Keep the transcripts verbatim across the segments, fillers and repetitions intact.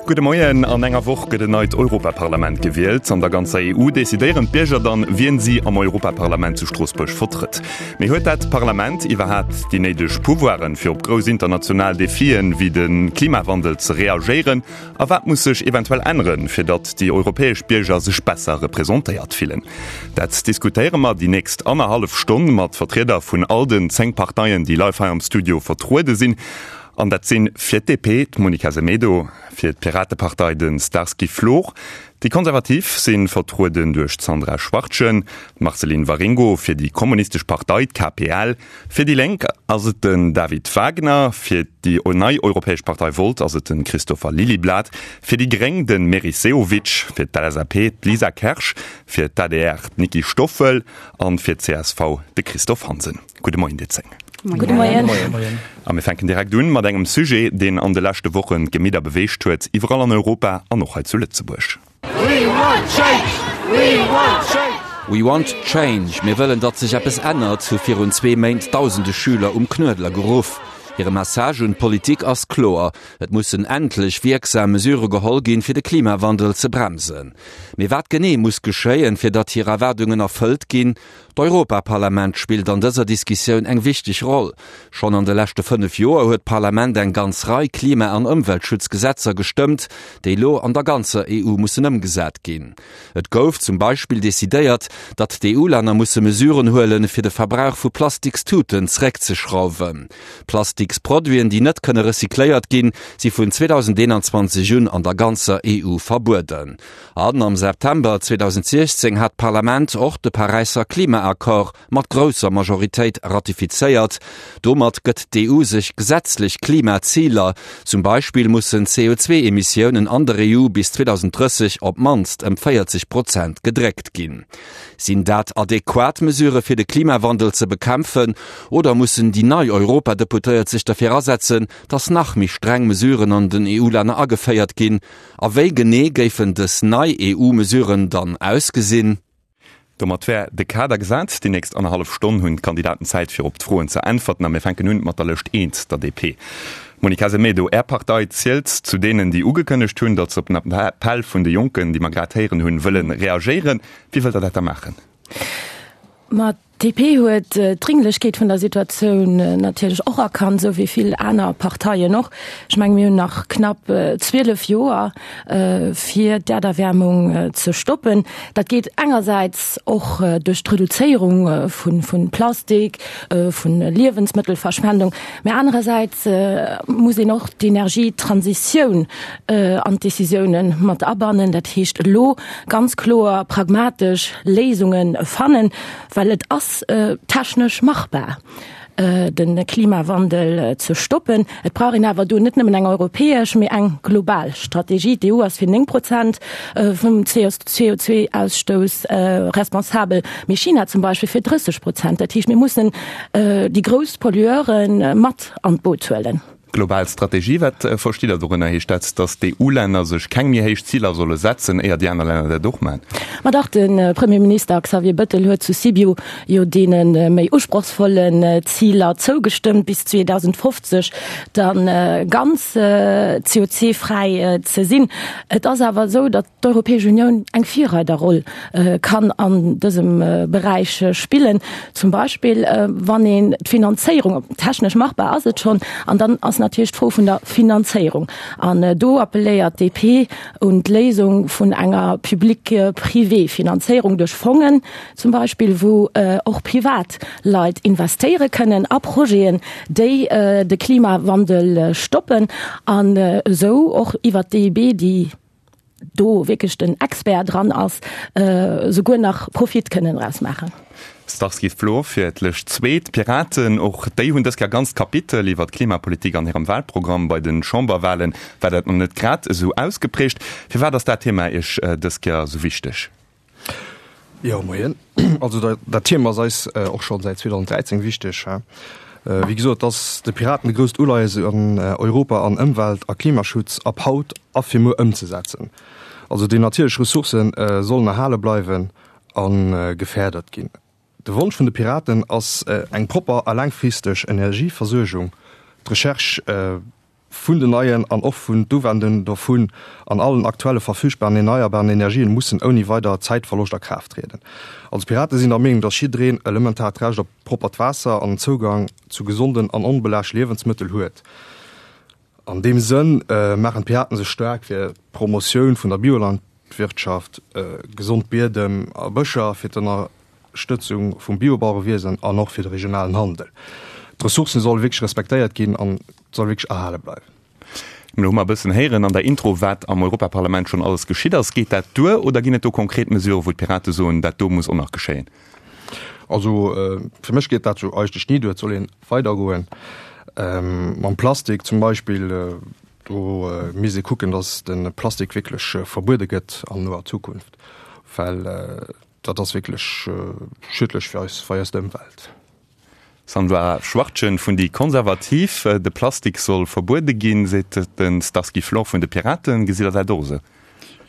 Gudde Moien, An enger Woch gëtt en neit Europaparlament gewielt. An der ganzer E U decidéieren d'Bierger dann, wien si am Europaparlament zu Stroossbuerg vertrëtt. Mee huet dat Parlament iwwerhaapt déi néideg Pouvoiren, fir op grouss international Defien wéi de Klimawandel ze reagéieren? A wat muss sech eventuell änneren, fir datt déi europäesch Bierger sech besser representéiert fillen? Dat diskutéiere mer déi nächst annerhallef Stonn mat Vertrieder vun all den zéng Parteien, déi live hei am Studio vertruede sinn. An dat sinn fir d'D P d'Monica Semedo, fir d'Piratepartei de Starsky Flor, déi Konservativ si vertrueden duerch d'Sandra Schwartjen, d'Marceline Waringo fir déi Kommunistesch Partei, d'K P L, fir déi Lénk ass et den David Wagner, fir déi nei Europäesch Partei Volt ass et de Christopher Lilyblad, fir déi Gréng de Meris Sehovic, fir d'L S A P d'Lisa Kersch, fir d'A D R d'Niki Stoffel an fir d'C S V de Christophe Hansen. Gudde Moien dir zéng. Gudde Moien. A mir fänken direkt un mat engem Sujet, deen an de leschte Wochen d'Gemidder beweegt huet, iwwerall an Europa an och hei zu Lëtzebuerg. We want change! We want change! We want change. Mir wëllen, datt sech eppes ännert, hu virun zwee Méint dausende Schüler um Knuedler geruff. Hire Message un d'Politik ass kloer. Et mussen endlech wierksam Mesure geholl ginn, fir de Klimawandel ze bremsen. Mee wat genee muss geschéien, fir datt hir Erwaardungen erfëllt ginn? D'Europaparlament spillt an dëser Diskussioun eng wichteg Roll. Schonn an de leschte fënnef Joer huet d'Parlament eng ganz Rei Klima- an Ëmweltschutzgesetzer gestëmmt, déi lo an der ganzer E U mussen ëmgesat ginn. Et gouf zum Beispill decidéiert, datt d'E U-Länner musse Mesuren huelen, fir de Verbrauch vu Plastikstuten zeréckzeschrauwen. Plastiksproduiten, déi net kënne recycléiert ginn, si vun zweedausendeenanzwanzeg un an der ganzer E U verbueden. An am September zweedausendsechzéng hat d'Parlament och de Paräisser Klimaaccord mat grousser Majoritéit ratifizéiert. Domat gëtt d'E U sech gesetzlech Klimaziler. Zum Beispill mussen C O zwee Emissiounen an der E U bis zweedausenddrësseg op d'mannst ëm véierzeg Prozent gedréckt ginn. Sinn dat adequat Mesure fir de Klimawandel ze bekämpfen oder mussen déi nei Europadeputéiert sech derfir asetzen, datt nach méi streng Mesuren an den E U-Länner ageféiert ginn? A wéi genee géifen dës nei E U-Mesuren dann ausgesinn? Domat wär de Kader gesat. Déi nächst annerhallef Stonn hunn d'Kandidaten Zäit fir op d'Froen ze äntwerten a mir fänken un mat der Lëscht eent, der D P. Monica Semedo, Är Partei zielt zu deenen, déi ugekënnegt hunn, datt se op den Appell vun de Jonken, déi mer grad héieren hunn, wëlle reagéieren. Wéi wëllt der dat da maachen? Ma d'D P huet d'Dringlechkeet vun der Situatioun natierlech och erkannt, sou wéi vill aner Parteien och. Ech menge mir hunn nach knapp zwielef Joer fir d'Äerderwäermung ze stoppen. Dat geet engersäits och duerch d'Reduzéierung vun vun Plastik, vun Liewensmëttelverschwendung, mee anerersäits muss een och d'Energietransitioun an d'Decisioune mat abannen. Dat heescht elo ganz kloer pragmatesch Léisunge fannen, well et ass technesch machbar, de Klimawandel ze stoppen. Et brauch een awer do net nëmmen eng europäesch, mee eng global Strategie. D'E U ass fir néng Prozent vum C O zwee Ausstouss responsabel, mee China zum Beispill fir drësseg Prozent. Dat heescht, mir mussen déi grouss Pollueure mat an d'Boot huelen. Global Strategie, wat verstitt der dorënner? Heescht dat, datt d'E U-Länner sech keng méi héich Ziler solle setzen, éier déi aner Länner dat och maachen? Ma dach, de Premierminister Xavier Bettel huet zu Sibiu jo deene méi usprochsvollen Ziler zougestëmmt, bis zweedausendfofzeg dann ganz C O zwee fräi ze sinn. Et ass awer esou, datt d'Europäesch Unioun eng Virreiderroll kann an dësem Beräich spillen. Zum Beispill wann een d'Finanzéierung, technesch machbar ass et schonn, an dann ass natierlech d'Fro vun der Finanzéierung. An do appelléiert d'D P un d'Léisung vun enger public-privé Finanzéierung duerch Fongen zum Beispill, wou och privat Leit investéiere kënnen a Projeten, déi de Klimawandel stoppen, an esou och iwwer d'E I B, déi do wierklech den Expert dran ass, souguer nach Profit kënnen draus maachen. Starsky Flor fir d'Lëscht zwee, d'Piraten, och déi hunn dës Kéier e ganzt Kapitel iwwer d'Klimapolitik an hirem Wahlprogramm. Bei de Chamberwahlen war dat nach net grad esou ausgeprägt. Firwat ass dat Thema Iech dës Kéier esou wichteg? Jo, moien. Also dat, dat Thema ass eis och schonn säit zweedausenddräizéng wichteg. Wéi gesot, ass de Piraten e grousst Uleies an Europa an Ëmwelt a Klimaschutz ab haut a fir muer ëmzesetzen. Also déi natierlech Ressourcë sollen erhale bleiwen a gefërdert ginn. De Wonsch vun de Piraten ass eng propper a laangfristeg Energieversuergung. D'Recherche vun den neien an och vun d'Uwendung dovun an allen aktuelle verfügbaren erneierbaren Energien mussen ouni weider Zäitverloscht a Kraaft trieden. Als Pirate sinn der Meenung, dass jiddereen elementaart Recht op proppert Waasser an Zougang zu gesonden an onbelaascht Liewensmëttel huet. An deem Sënn maachen d'Piraten sech staark fir d'Promotioun vun der Biolandwirtschaft, gesond Biedem a Bëscher, fir d'Ënnerstëtzung vum Biobauerewiesen an och fir de regionalen Handel. D'Ressourcen solle wierklech respektéiert ginn an soll wierklech erhale bleiwen. Elo hu mer e bëssen héieren an der Intro, wat am Europaparlament schonn alles geschitt ass. Geet dat duer oder ginn et do konkret Mesurë wou d'Pirate soen, dat do muss och nach geschéien? Also fir mech geet dat sou eigentlech ni duer. Et soll ee weidergoen. Mam Plastik zum Beispill, do misst ee kucken, datt de Plastik wierklech verbuede gëtt an noer Zukunft, well dat ass wierklech schiedlech fir eis, fir eis Ëmwelt. Sandra Schwartgen vun déi Konservativ, De Plastik soll verbuede ginn, seet de Starsky Flor vun de Piraten. Gesitt Der dat och esou?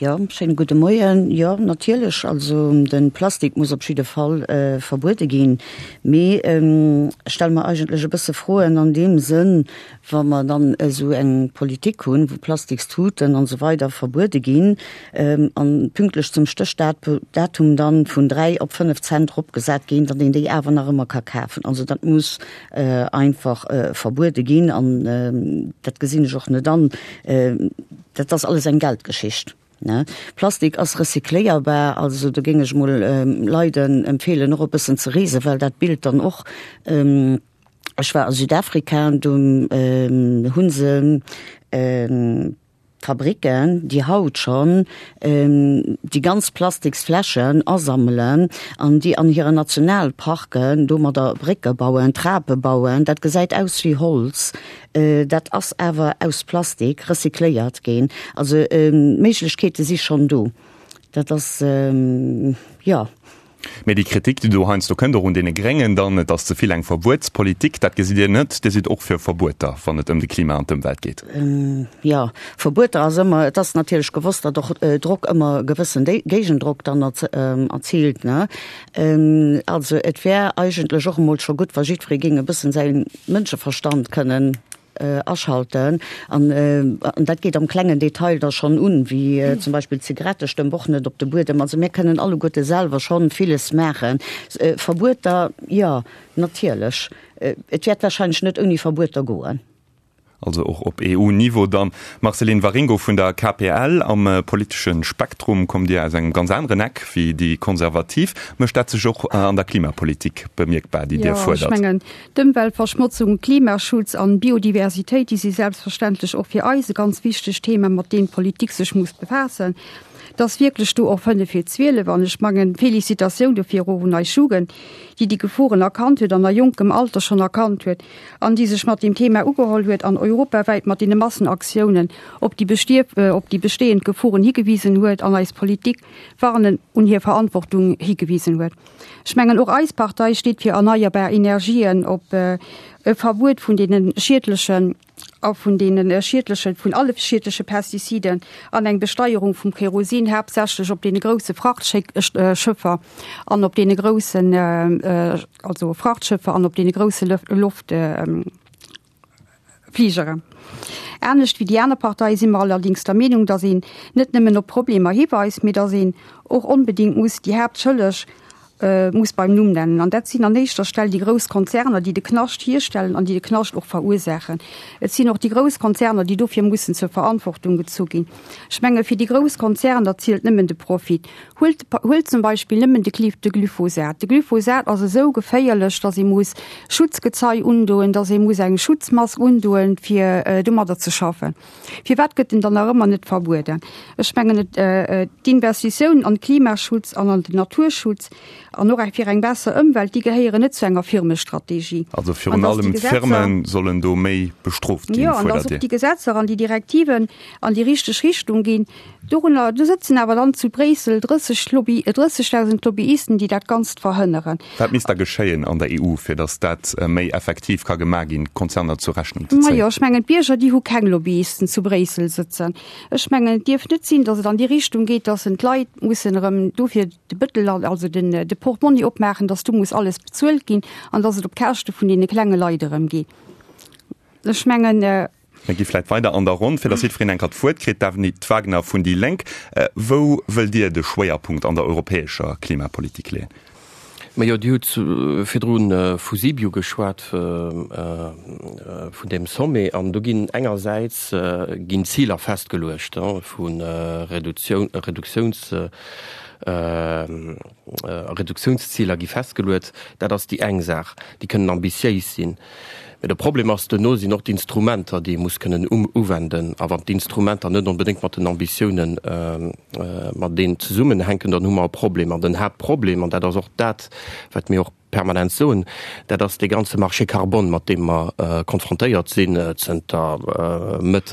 Jo, schéine gudde Moien. Jo, natierlech, also de Plastik muss op jidde Fall verbuede ginn. Mee ech stelle mer eigentlech e bësse Froen an deem Sënn, wa mer dann esou eng Politik hunn, wou Plastikstuten an esou weider verbuede ginn an pünktlech zum Stéchdatum dann vun dräi op fënnef Cent eropgesat ginn, datt een déi awer nach ëmmer ka kafen. Also dat muss einfach verbuede ginn an dat gesinn ech och net an. Dat ass alles eng Geldgeschicht. Plastik ass recycléierbar, also do géing ech mol Leiden empfeelen och e bëssen ze reesen, well dat Bild dann och, Ech war a Südafrika an do hu se Fabricken, déi haut schonn déi ganz Plastiksfläschen asammelen an déi an hiren Nationalparken domadder Brécke bauen, Trape bauen. Dat gesäit aus wéi Holz, dat ass awer aus Plastik recycléiert ginn. Also d'Méiglechkeete si schonn do. Dat ass, jo. Mee déi Kritik, déi do heiansdo kënnt, och un deene Gréngen dann, et ass ze vill eng Verbuetspolitik, dat gesitt Dir net. Dir sidd och fir Verbueter, wann et ëm de Klima an d'Ëmwelt geet. Jo, Verbueter ass ëmmer, et ass natierlech gewosst, datt och Drock ëmmer gewëssen Géigendrock dann erziilt, ne. Also et wär eigentlech och emol scho gutt, wa jiddweree géing e bëssen säi Mënscheverstand kënnen aschalten. An dat geet am klengen Detail da schonn un, wéi zum Beispill d'Zigarettestëmp och net op de Buedem. Also mir kënnen alleguerte selwer schonn villes maachen. Verbueter, jo, natierlech. Et wäert warscheinlech net ouni Verbueter goen. Also och op E U-Niveau dann. Marceline Waringo vun der K P L, am politesche Spektrum kommt Dir aus engem ganz aneren Eck wéi déi Konservativ. Mécht dat sech och an der Klimapolitik bemierkbar, déi Dir Jo, ech fuerdert? Mengen, d'Ëmweltverschmotzung, Klimaschutz an Biodiversitéit, déi si selbstverständlech och fir eis e ganz wichteg Thema, mat deenen d'Politik sech muss befaassen. Et ass wierklech do och fënnef vir zwielef an ech mengen, Felicitatioun dofir och un eis Jugend, déi déi Geforen erkannt huet an a jonkem Alter schonn erkannt huet an déi sech mat deem Thema ugeholl huet an europawäit mat deene Massenaktiounen op déi op déi bestehend Geforen higewisen huet an eis Politik warnen un hir Verantwortung higewisen huet. Ech mengen, och eis Partei steet fir erneierbar Energien, op e Verbuet vun deene schiedlechen a vun deene schiedlechen, vun alle schiedleche Pestiziden an eng Besteierung vum Kerosin, haaptsächlech op deene grousse Frachtschëffer an op deene groussen, also Frachtschëffer an op deene grousse Loft Fligeren. Anescht wéi déi aner Parteie si mer allerdings der Meenung, datt een net nëmmen op Problemer hiweist, mee datt een och onbedéngt muss déi Haaptschëlleg muss beim Numm nennen. An dat sinn an éischter Stell déi grouss Konzerner, déi de Knascht hierstellen an déi de Knascht och verursaachen. Et sinn och déi grouss Konzerner, déi dofir mussen zur Verantwortung gezu ginn. Ech menge fir déi grouss Konzerner zielt nëmmen de Profit. Huelt, huelt zum Beispill nëmmen de Glyph, de Glyphosat. De Glyphosat ass esou geféierlech, datt ee muss Schutzgezei undoen, datt ee muss eng Schutzmask undoen, fir domadder ze schaffen. Firwat gëtt en dann nach ëmmer net verbueden? Ech mengen, et d'Investitiounen an Klimaschutz an an den Naturschutz an och fir eng besser Ëmwelt, déi gehéieren net zu enger Firmestrategie. Also virun allem d'Firme sollen do méi bestrooft ginn, Jo, an fuerdert datt och Dir? déi Gesetzer an déi Direktiven an déi richteg Richtung ginn. Dorunner, do sëtzen awer dann zu Bréissel drësseg Lobby, drëssegdausend Lobbyisten, déi dat Ganzt verhënneren. Wat misst da geschéien an der E U, fir datt dat méi effektiv ka gemaach ginn, d'Konzerner zur Rechnung ze Ma zéien? jo, ech mengen, d'Bierger, déi hu keng Lobbyisten zu Bréissel sëtzen. Ech mengen, et dierf net sinn, datt et an déi Richtung geet, datt en d'Leit mussen erëm dofir de Bëttel, also den, de Portmonni opmaachen, datt do muss alles bezuelt ginn an datt et op Käschte vun deene klenge Leit erëm geet. Ech mengen. Mir gi vläit weider an der Ronn, fir datt jiddwereen eng Kéier d'Wuert kritt. Daphne Wagner vun déi Lénk, wou wëllt Dir de Schwéierpunkt an der europäescher Klimapolitik leeën? Majo, Dir hutt virdru vu Sibiu geschwat, vun deem Sommet, an do ginn engersäits ginn Ziler festgeluecht vu Reduktiouns, Reduktiounsziler gi festgeluet. Dat ass déi eng Saach, déi kënnen ambitiéis sinn. Mä de Problem ass, duerno sinn och d'Instrumenter, déi ee muss kënnen uwenden. A wann d'Instrumenter net onbedéngt mat den Ambitiounen mateneen zesummenhänken, dann hu mer e Problem. An den Haaptproblem, an dat ass och dat, wat mir och permanent soen, dat ass dee ganze Marché carbone, mat deem mer konfrontéiert sinn zënter Mëtt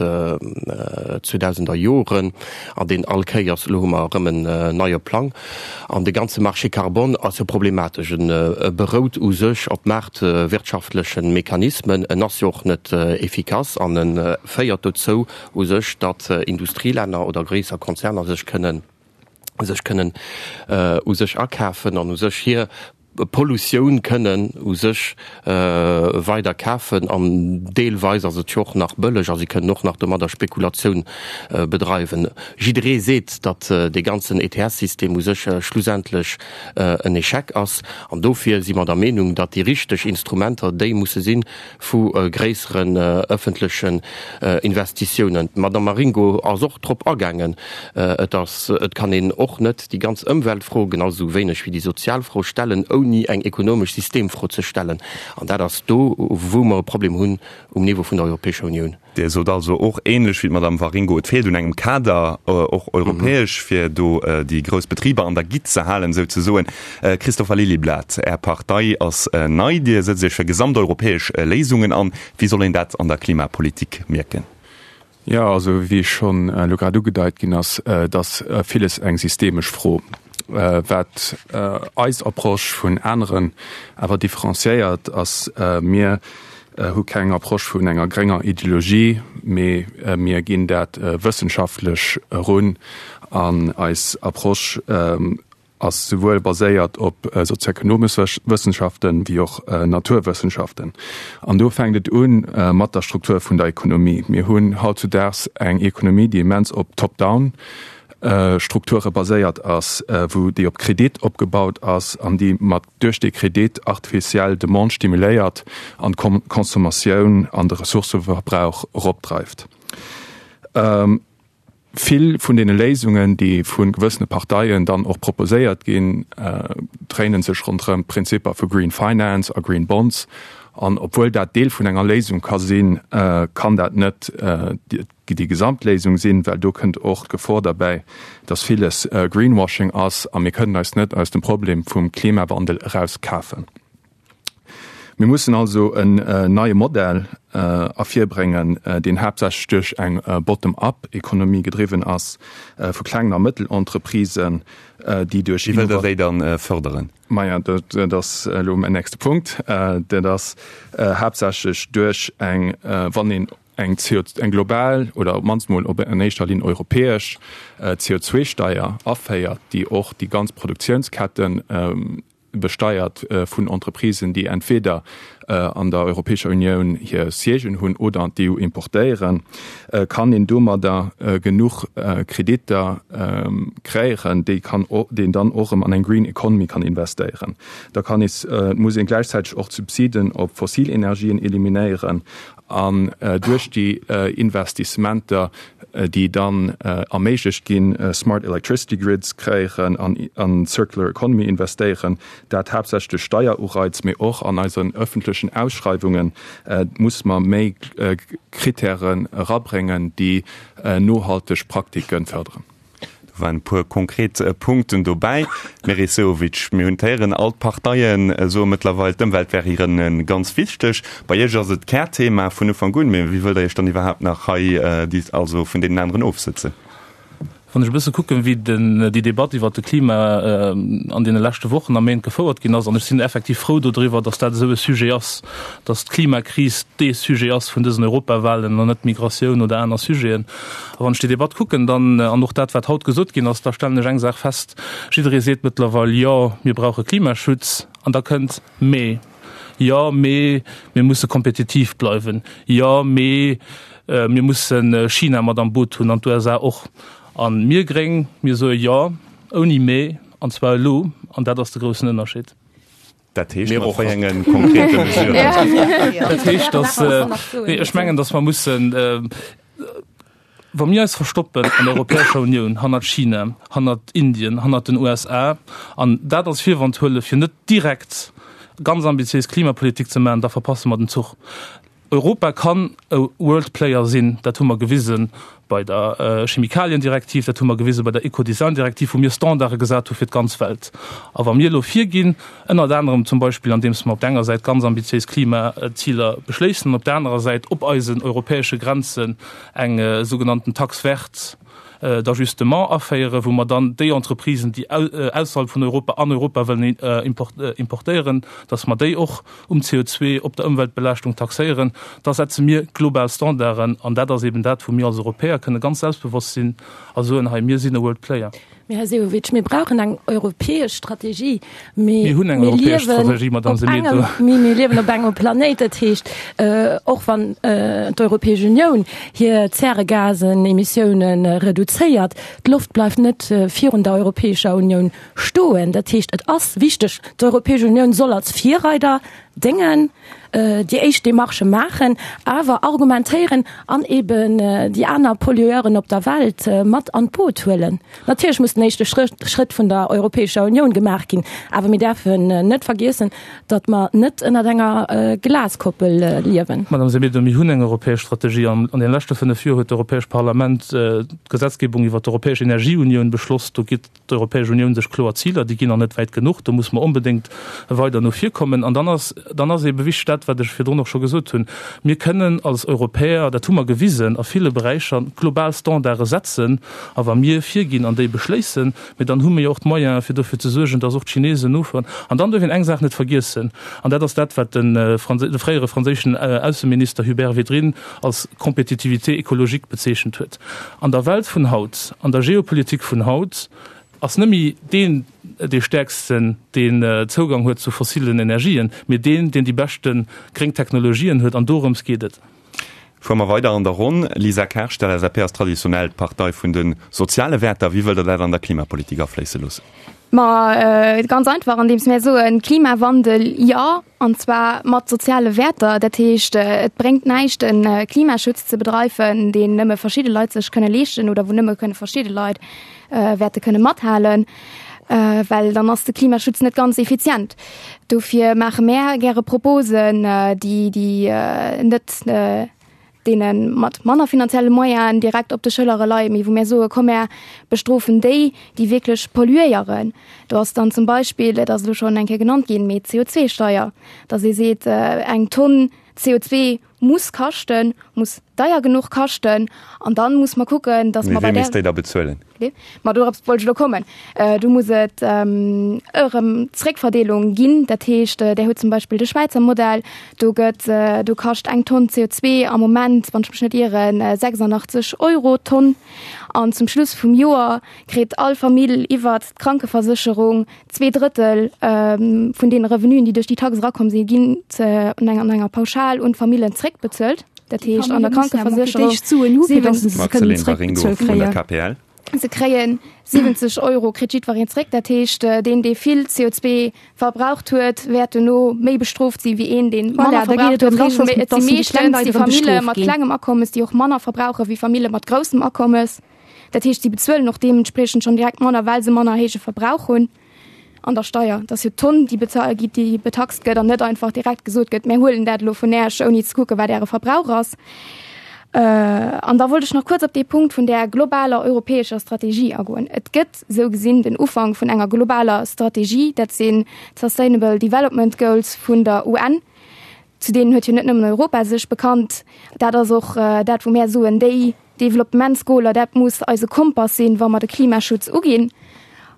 zweedausender Joren an deen all Kéiers, elo hu mer erëm en neie Plang, an de ganze Marché carbone ass jo problematesch. E berout u sech op maartwirtschaftleche Mechanismen, en ass jo och net efficace an e féiert dozou u sech, datt Industrielänner oder gréisser Konzerner sech kënnen sech kënnen u sech akafen an u sech hir Pollutioun kënnen u sech weider kafen an deelweis ass et jo och nach bëlleg a si kënnen och nach domadder Spekulatioun bedreiwen. Jidderee seet, datt dee ganzen E T S-System u sech schlussendlech en Echec ass an dofir si mer der Meenung, datt déi richteg Instrumenter déi musse si vu gréisseren ëffentlechen Investitiounen. D'Madame Waringo ass och drop agaangen. Et ass, et kann een och net déi ganz Ëmweltfro, genau esou wéineg wéi déi sozial Fro stellen, ouni eng ekonomesch Systemfro ze stellen. An dat ass do, wou mer e Problem hunn um Niveau vun der Europäescher Unioun. Dir sot also och, ähnlech wéi d'Madame Waringo, et feelt un engem Kader, och europäesch, fir do déi grouss Betriber an der Gitt ze halen, souzesoen. Christopher Lilyblad, Är Partei ass nei, Dir sëtzt Iech fir gesamteuropäesch Léisungen an. Wéi soll een dat an der Klimapolitik mierken? Jo, also wéi schonn elo grad ugedeit ginn ass, et ass villes eng systemesch Fro. Wat eis Approche vun aneren awer differenciéiert, ass, mir hu keng Approche vun enger grénger Ideologie, mee mir ginn dat wëssenschaftlech erun an eis Approche ass souwuel baséiert op sozioekonomesch Wëssenschaften wéi och Naturwëssenschaften. An do fänkt et u mat der Struktur vun der Ekonomie. Mir hunn hautzudaags eng Ekonomie, déi immens op Top-down Strukture baséiert ass, wou déi op Kredit opgebaut ass an déi mat duerch dee Kredit artificiell Demande stimuléiert an d'Consommatioun an de Ressourcëverbrauch eropdreift. Vill vun deene Léisungen, déi vu gewëssene Parteien dann och proposéiert ginn, dréinen sech ronderëm d'Prinzipper vu Green Finance a Green Bonds. An obwuel dat Deel vun enger Léisung ka sinn, kann dat net déi Gesamtléisung sinn, well do kënnt och d'Gefor derbäi, dass villes Greenwashing ass a mir kënnen eis net aus dem Problem vum Klimawandel erauskafen. Mir mussen also en neie Modell ervirbréngen, deen haaptsächlech duerch eng Bottom-up-Ekonomie gedriwwen ass, vu klengen a Mëttelentreprisen, déi duerch. Wéi wëllt Der déi dann fërderen? Maja, dat ass elo mäin nächste Punkt. Dat ass haaptsächlech duerch eng, wann een eng C O, eng global oder op d'mannst mol op an éischter Linn europäesch C O zwei Steier aféiert, déi och déi ganz Produktiounsketten besteiert vun Entreprisen, déi entweder an der Europäescher Unioun hir Siègen hunn oder an d'E U importéieren, kann een domadder genuch Kreditter kréieren, déi kann, déi een dann och erëm an eng Green Economy kann investéieren. Da kann ee, muss een gläichzäiteg och d'Subsiden op fossil Energien eliminéieren an duerch déi Investissementer, déi dann erméiglecht ginn, Smart Electricity Grids kréieren an an Circular Economy investéieren, dat haaptsächlech duerch Steierureiz, mee och an eisen öffentlechen Ausschreiwungen muss mer méi Kritären erabréngen, déi nohalteg Praktiken förderen. Do waren e puer konkret Punkten dobäi. Meris Sehovic, mir hunn d'Héieren, all d'Parteien soe mëttlerweil, d'Ëmwelt wär hiren ganz wichteg. Bei Iech ass et d'Kärthema vun Ufank un. Mee wéi wëllt Der Iech dann iwwerhaapt nach hei also vun deenen aneren ofsëtzen? Wann ech e bësse kucken, wéi den, déi Debatt iwwert de Klima an deene leschte Wochen a Méint gefouert ginn ass, an ech sinn effektiv frou dodriwwer, datt dat esou e Sujet ass, datt d'Klimakris dee Sujet ass vun dësen Europawahlen an net d'Migratioun oder aner Sujeten. A wann ech déi Debatt kucken, dann, an och dat, wat haut gesot ginn ass, da stellen ech eng Saach fest, Jidderee seet mëttlerweil, jo, mir brauche Klimaschutz, an da kënnt mee. Jo, mee mir musse kompetitiv bleiwen. Jo, mee mir musse China mat am Boot hunn an d'USA och. A mir Gréng, mir soe Jo, ouni mee, an zwar elo. An dat ass de groussen Ënnerscheed. Dat heescht, mat wéi enge konkrete Mesuren? Dat heescht, dass, nee, ech mengen, dass mer mussen, wa mir eis verstoppen an der Europäescher Unioun hannert China, hannert Indien, hannert den USA an dat als Virwand huele fir net direkt ganz ambitiéis Klimapolitik ze maachen, da verpasse mer den Zuch. Europa kann e World Player sinn, dat hu mer gewisen bei der Chemikaliendirektiv, dat hu mer gewise bei der Ecodesign-Direktiv, wou mir Standarde gesat hu fir d'ganz Welt. A wa mir elo virginn, ënnert anerem zum Beispill andeems mer op der enger Säit ganz ambitiéis Klimaziler beschléissen an op der anerer Säit op eisen europäesche Grenzen eng sougenannten Taxe verte d'ajustement aféieren, wou mer dann déi Entreprisen, déi ausserhalb vun Europa an Europa wëllen importéieren, dass mer déi och um C O zwei, op der Ëmweltbelaaschtung taxéieren, da setze mir global Standarden. An dat ass eben dat, wou mir als Europäer kënne ganz selbstbewosst sinn a soen, hei, mir sinn e World Player. Mee, Här Sehovic, mir brauchen eng europäesch Strategie. Mee Mir hunn eng mir europäesch liewen Strategie, Madame op Semedo. engem, mee mir liewen op engem Planéit. Dat heescht, och wann d'Europäesch Unioun hir Zäregasen-Emissiounen reduzéiert, d'Loft bleift net virun der Europäescher Unioun stoen. Dat heescht, et ass wichteg, d'Europäesch Unioun soll als Virreider déngen, déi éischt Demarchë maachen, awer argumentéieren an eben déi aner Pollueuren op der Welt mat an d'Boot huelen. Natierlech muss den éischte Schrëtt vun der Europäescher Unioun gemaach ginn, awer mir däerfen net vergiessen, datt mer net ënnert enger Glaskoppel liewen. Madame Semedo, mir hunn eng europäesch Strategie. An deene leschte fënnef Joer huet d'Europäescht Parlament d'Gesetzgebung iwwert d'Europäesch Energieunioun beschloss. Do gitt d'Europäesch Unioun sech kloer Ziler, déi ginn nach net wäit genuch, do muss mer onbedéngt weider no vir kommen. An dann ass, dann ass ebe wichteg dat, wat ech virdrun och scho gesot hunn, Mir kënnen als Europäer, dat hu mer gewisen a ville Beräicher, global Standarde setzen. A wa mir virginn an déi beschléissen, mee dann hu mir jo och d'Moyene fir dofir ze suergen, dass och d'Chinesen nofueren. An dann duerf een eng Saach net vergiessen, an dat ass dat, wat de fréiere franséischen Ausseminister Hubert Védrine als Compétitivité écologique bezeechent huet. An der Welt vun haut, an der Geopolitik vun haut, ass net méi deen dee Stäerksten, deen Zougang huet zu fossilen Energien, mee deen, deen déi beschte gréng Technologien huet. An dorëms geet et. Fuere mer weider an der Ronn. Lisa Kersch, d'L S A P ass traditionell d'Partei vun de soziale Wäerter. Wéi wëllt Der dat an der Klimapolitik afléisse loossen? Ma ganz einfach, andeems mär soen, Klimawandel jo, an zwar mat soziale Wäerter. Dat heescht, et bréngt näischt, e Klimaschutz ze bedreiwen, deen nëmme verschidde Leit sech kënne leeschten oder wou nëmme kënne verschidde Leit wäerte kënne mathalen, well dann ass de Klimaschutz net ganz effizient. Dofir maache mär gäre Proposen, déi déi net deene mat manner finanzielle Moyenen direkt op de Schëllere leien, mee wou mär soen, komm mär bestrofen déi, déi wierklech polluéieren. Do ass dann zum Beispill, et ass elo schonn eng Kéier genannt ginn, mee d'C O zwei Steier, datt ee seet, eng Tonn C O zwei muss kaschten, muss deier genuch kaschten an dann muss mer kucken, dass mer bei Mee där. wee misst déi da bezuelen? Ma dorops wollt ech elo kommen. Do muss et erëm Zréckverdeelung ginn. Dat heescht, Där hutt zum Beispill de Schwäizer Modell, do gëtt, do kascht eng Tonn C O zwei am Moment, wann ech mech net ieren, sechsundachtzeg Euro d'Tonn. An zum Schluss vum Joer kritt all Famill iwwert d'Krankeversécherung zwee Drëttel vun deene Revenuen, déi duerch déi Tax erakomm sinn, ginn an enger Pauschal un d'Famillen zréckbezuelt. Dat heescht an der Krankeversécherung. Marceline Waringo vun der K P L. Se kréie siwwenzeg Euro, kritt jiddwereen zréck. Dat heescht, deen, dee vill C O zwei verbraucht huet, wäert duerno méi bestrooft si wéi een, dee manner verbraucht huet. Et si meeschtens déi Famille mat klengem Akommes, déi och manner verbrauche wéi Famille mat groussem Akommes. Dat heescht, si bezuelen och deementspriechend schonn direkt manner, well se manner héije Verbrauch hunn an der Steier. Et ass jo d'Tonn, déi bezuelt gëtt, déi betaxt gëtt an net einfach direkt gesot gëtt, mir huelen dat elo vun Äech, ouni ze kucken, wat Äre Verbrauch ass. An da wollt ech nach kuerz op dee Punkt vun där globaler europäescher Strategie agoen. Et gëtt esou gesinn den Ufank vun enger globaler Strategie, dat sinn d'Sustainable Development Goals vun der U N. Zu deenen huet jo net nëmmen Europa sech bekannt. Dat ass och dat, wou mär soen, déi Developpementsgoaler, dat muss eise Kompass sinn, wa mer de Klimaschutz uginn.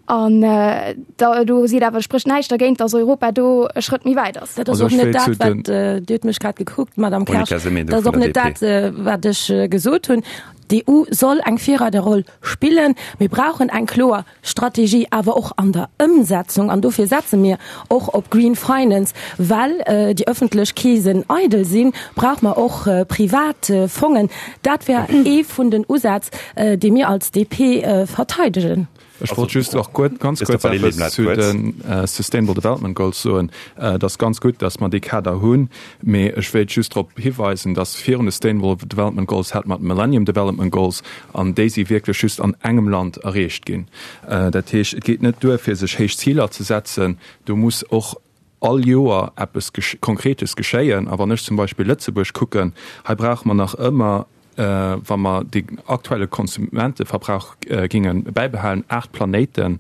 An da do seet awer, sprécht näischt dergéint, datt Europa do e Schrëtt méi wäit ass. Dat ass och net dat, wat, Dir hutt mech grad gekuckt, Madame Kersch, dat ass och net dat, wat ech gesot hunn. D'EU soll eng Virreiderroll spillen. Mir brauchen eng kloer Strategie, awer och an der Ëmsetzung. An dofir setze mir och op Green Finance. Well déi ëffentlech Keesen eidel sinn, brauche mer och privat Fongen. Dat wär ee vun den Usätz, dee mir als D P verteidegen. Ech wollt just och guet, ganz kuerz eppes zu de Sustainable Development Goals soen. Et ass ganz gutt, datt mer dee Kader hunn, mee ech wéilt just drop hiweisen, datt virun de Sustainable Development Goals hat mer d'Millennium Development Goals, an déi si wierklech just an engem Land erreecht ginn. Dat heescht, et geet net duer, fir sech héich Ziler ze setzen, do muss och all Joer eppes Konkretes geschéien. A wann ech zum Beispill Lëtzebuerg kucken, hei brauche mer nach ëmmer, wa mer de aktuelle Konsumenteverbrauch géinge bäibehalen, aacht Planéiten,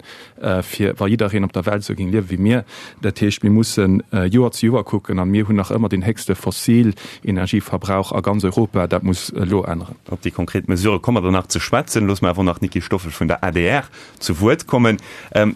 fir wa jiddereen op der Welt esou géing liewe wéi mir. Dat heescht, mir mussen Joer zu Joer kucken a mir hunn nach ëmmer deen héchste Fossilenergieverbrauch a ganz Europa. Dat muss elo änneren. Op déi konkret Mesurë komme mer dann nach ze schwätzen. Loosse mer awer nach d'Nickie Stoffel vun der A D R zu Wuert kommen.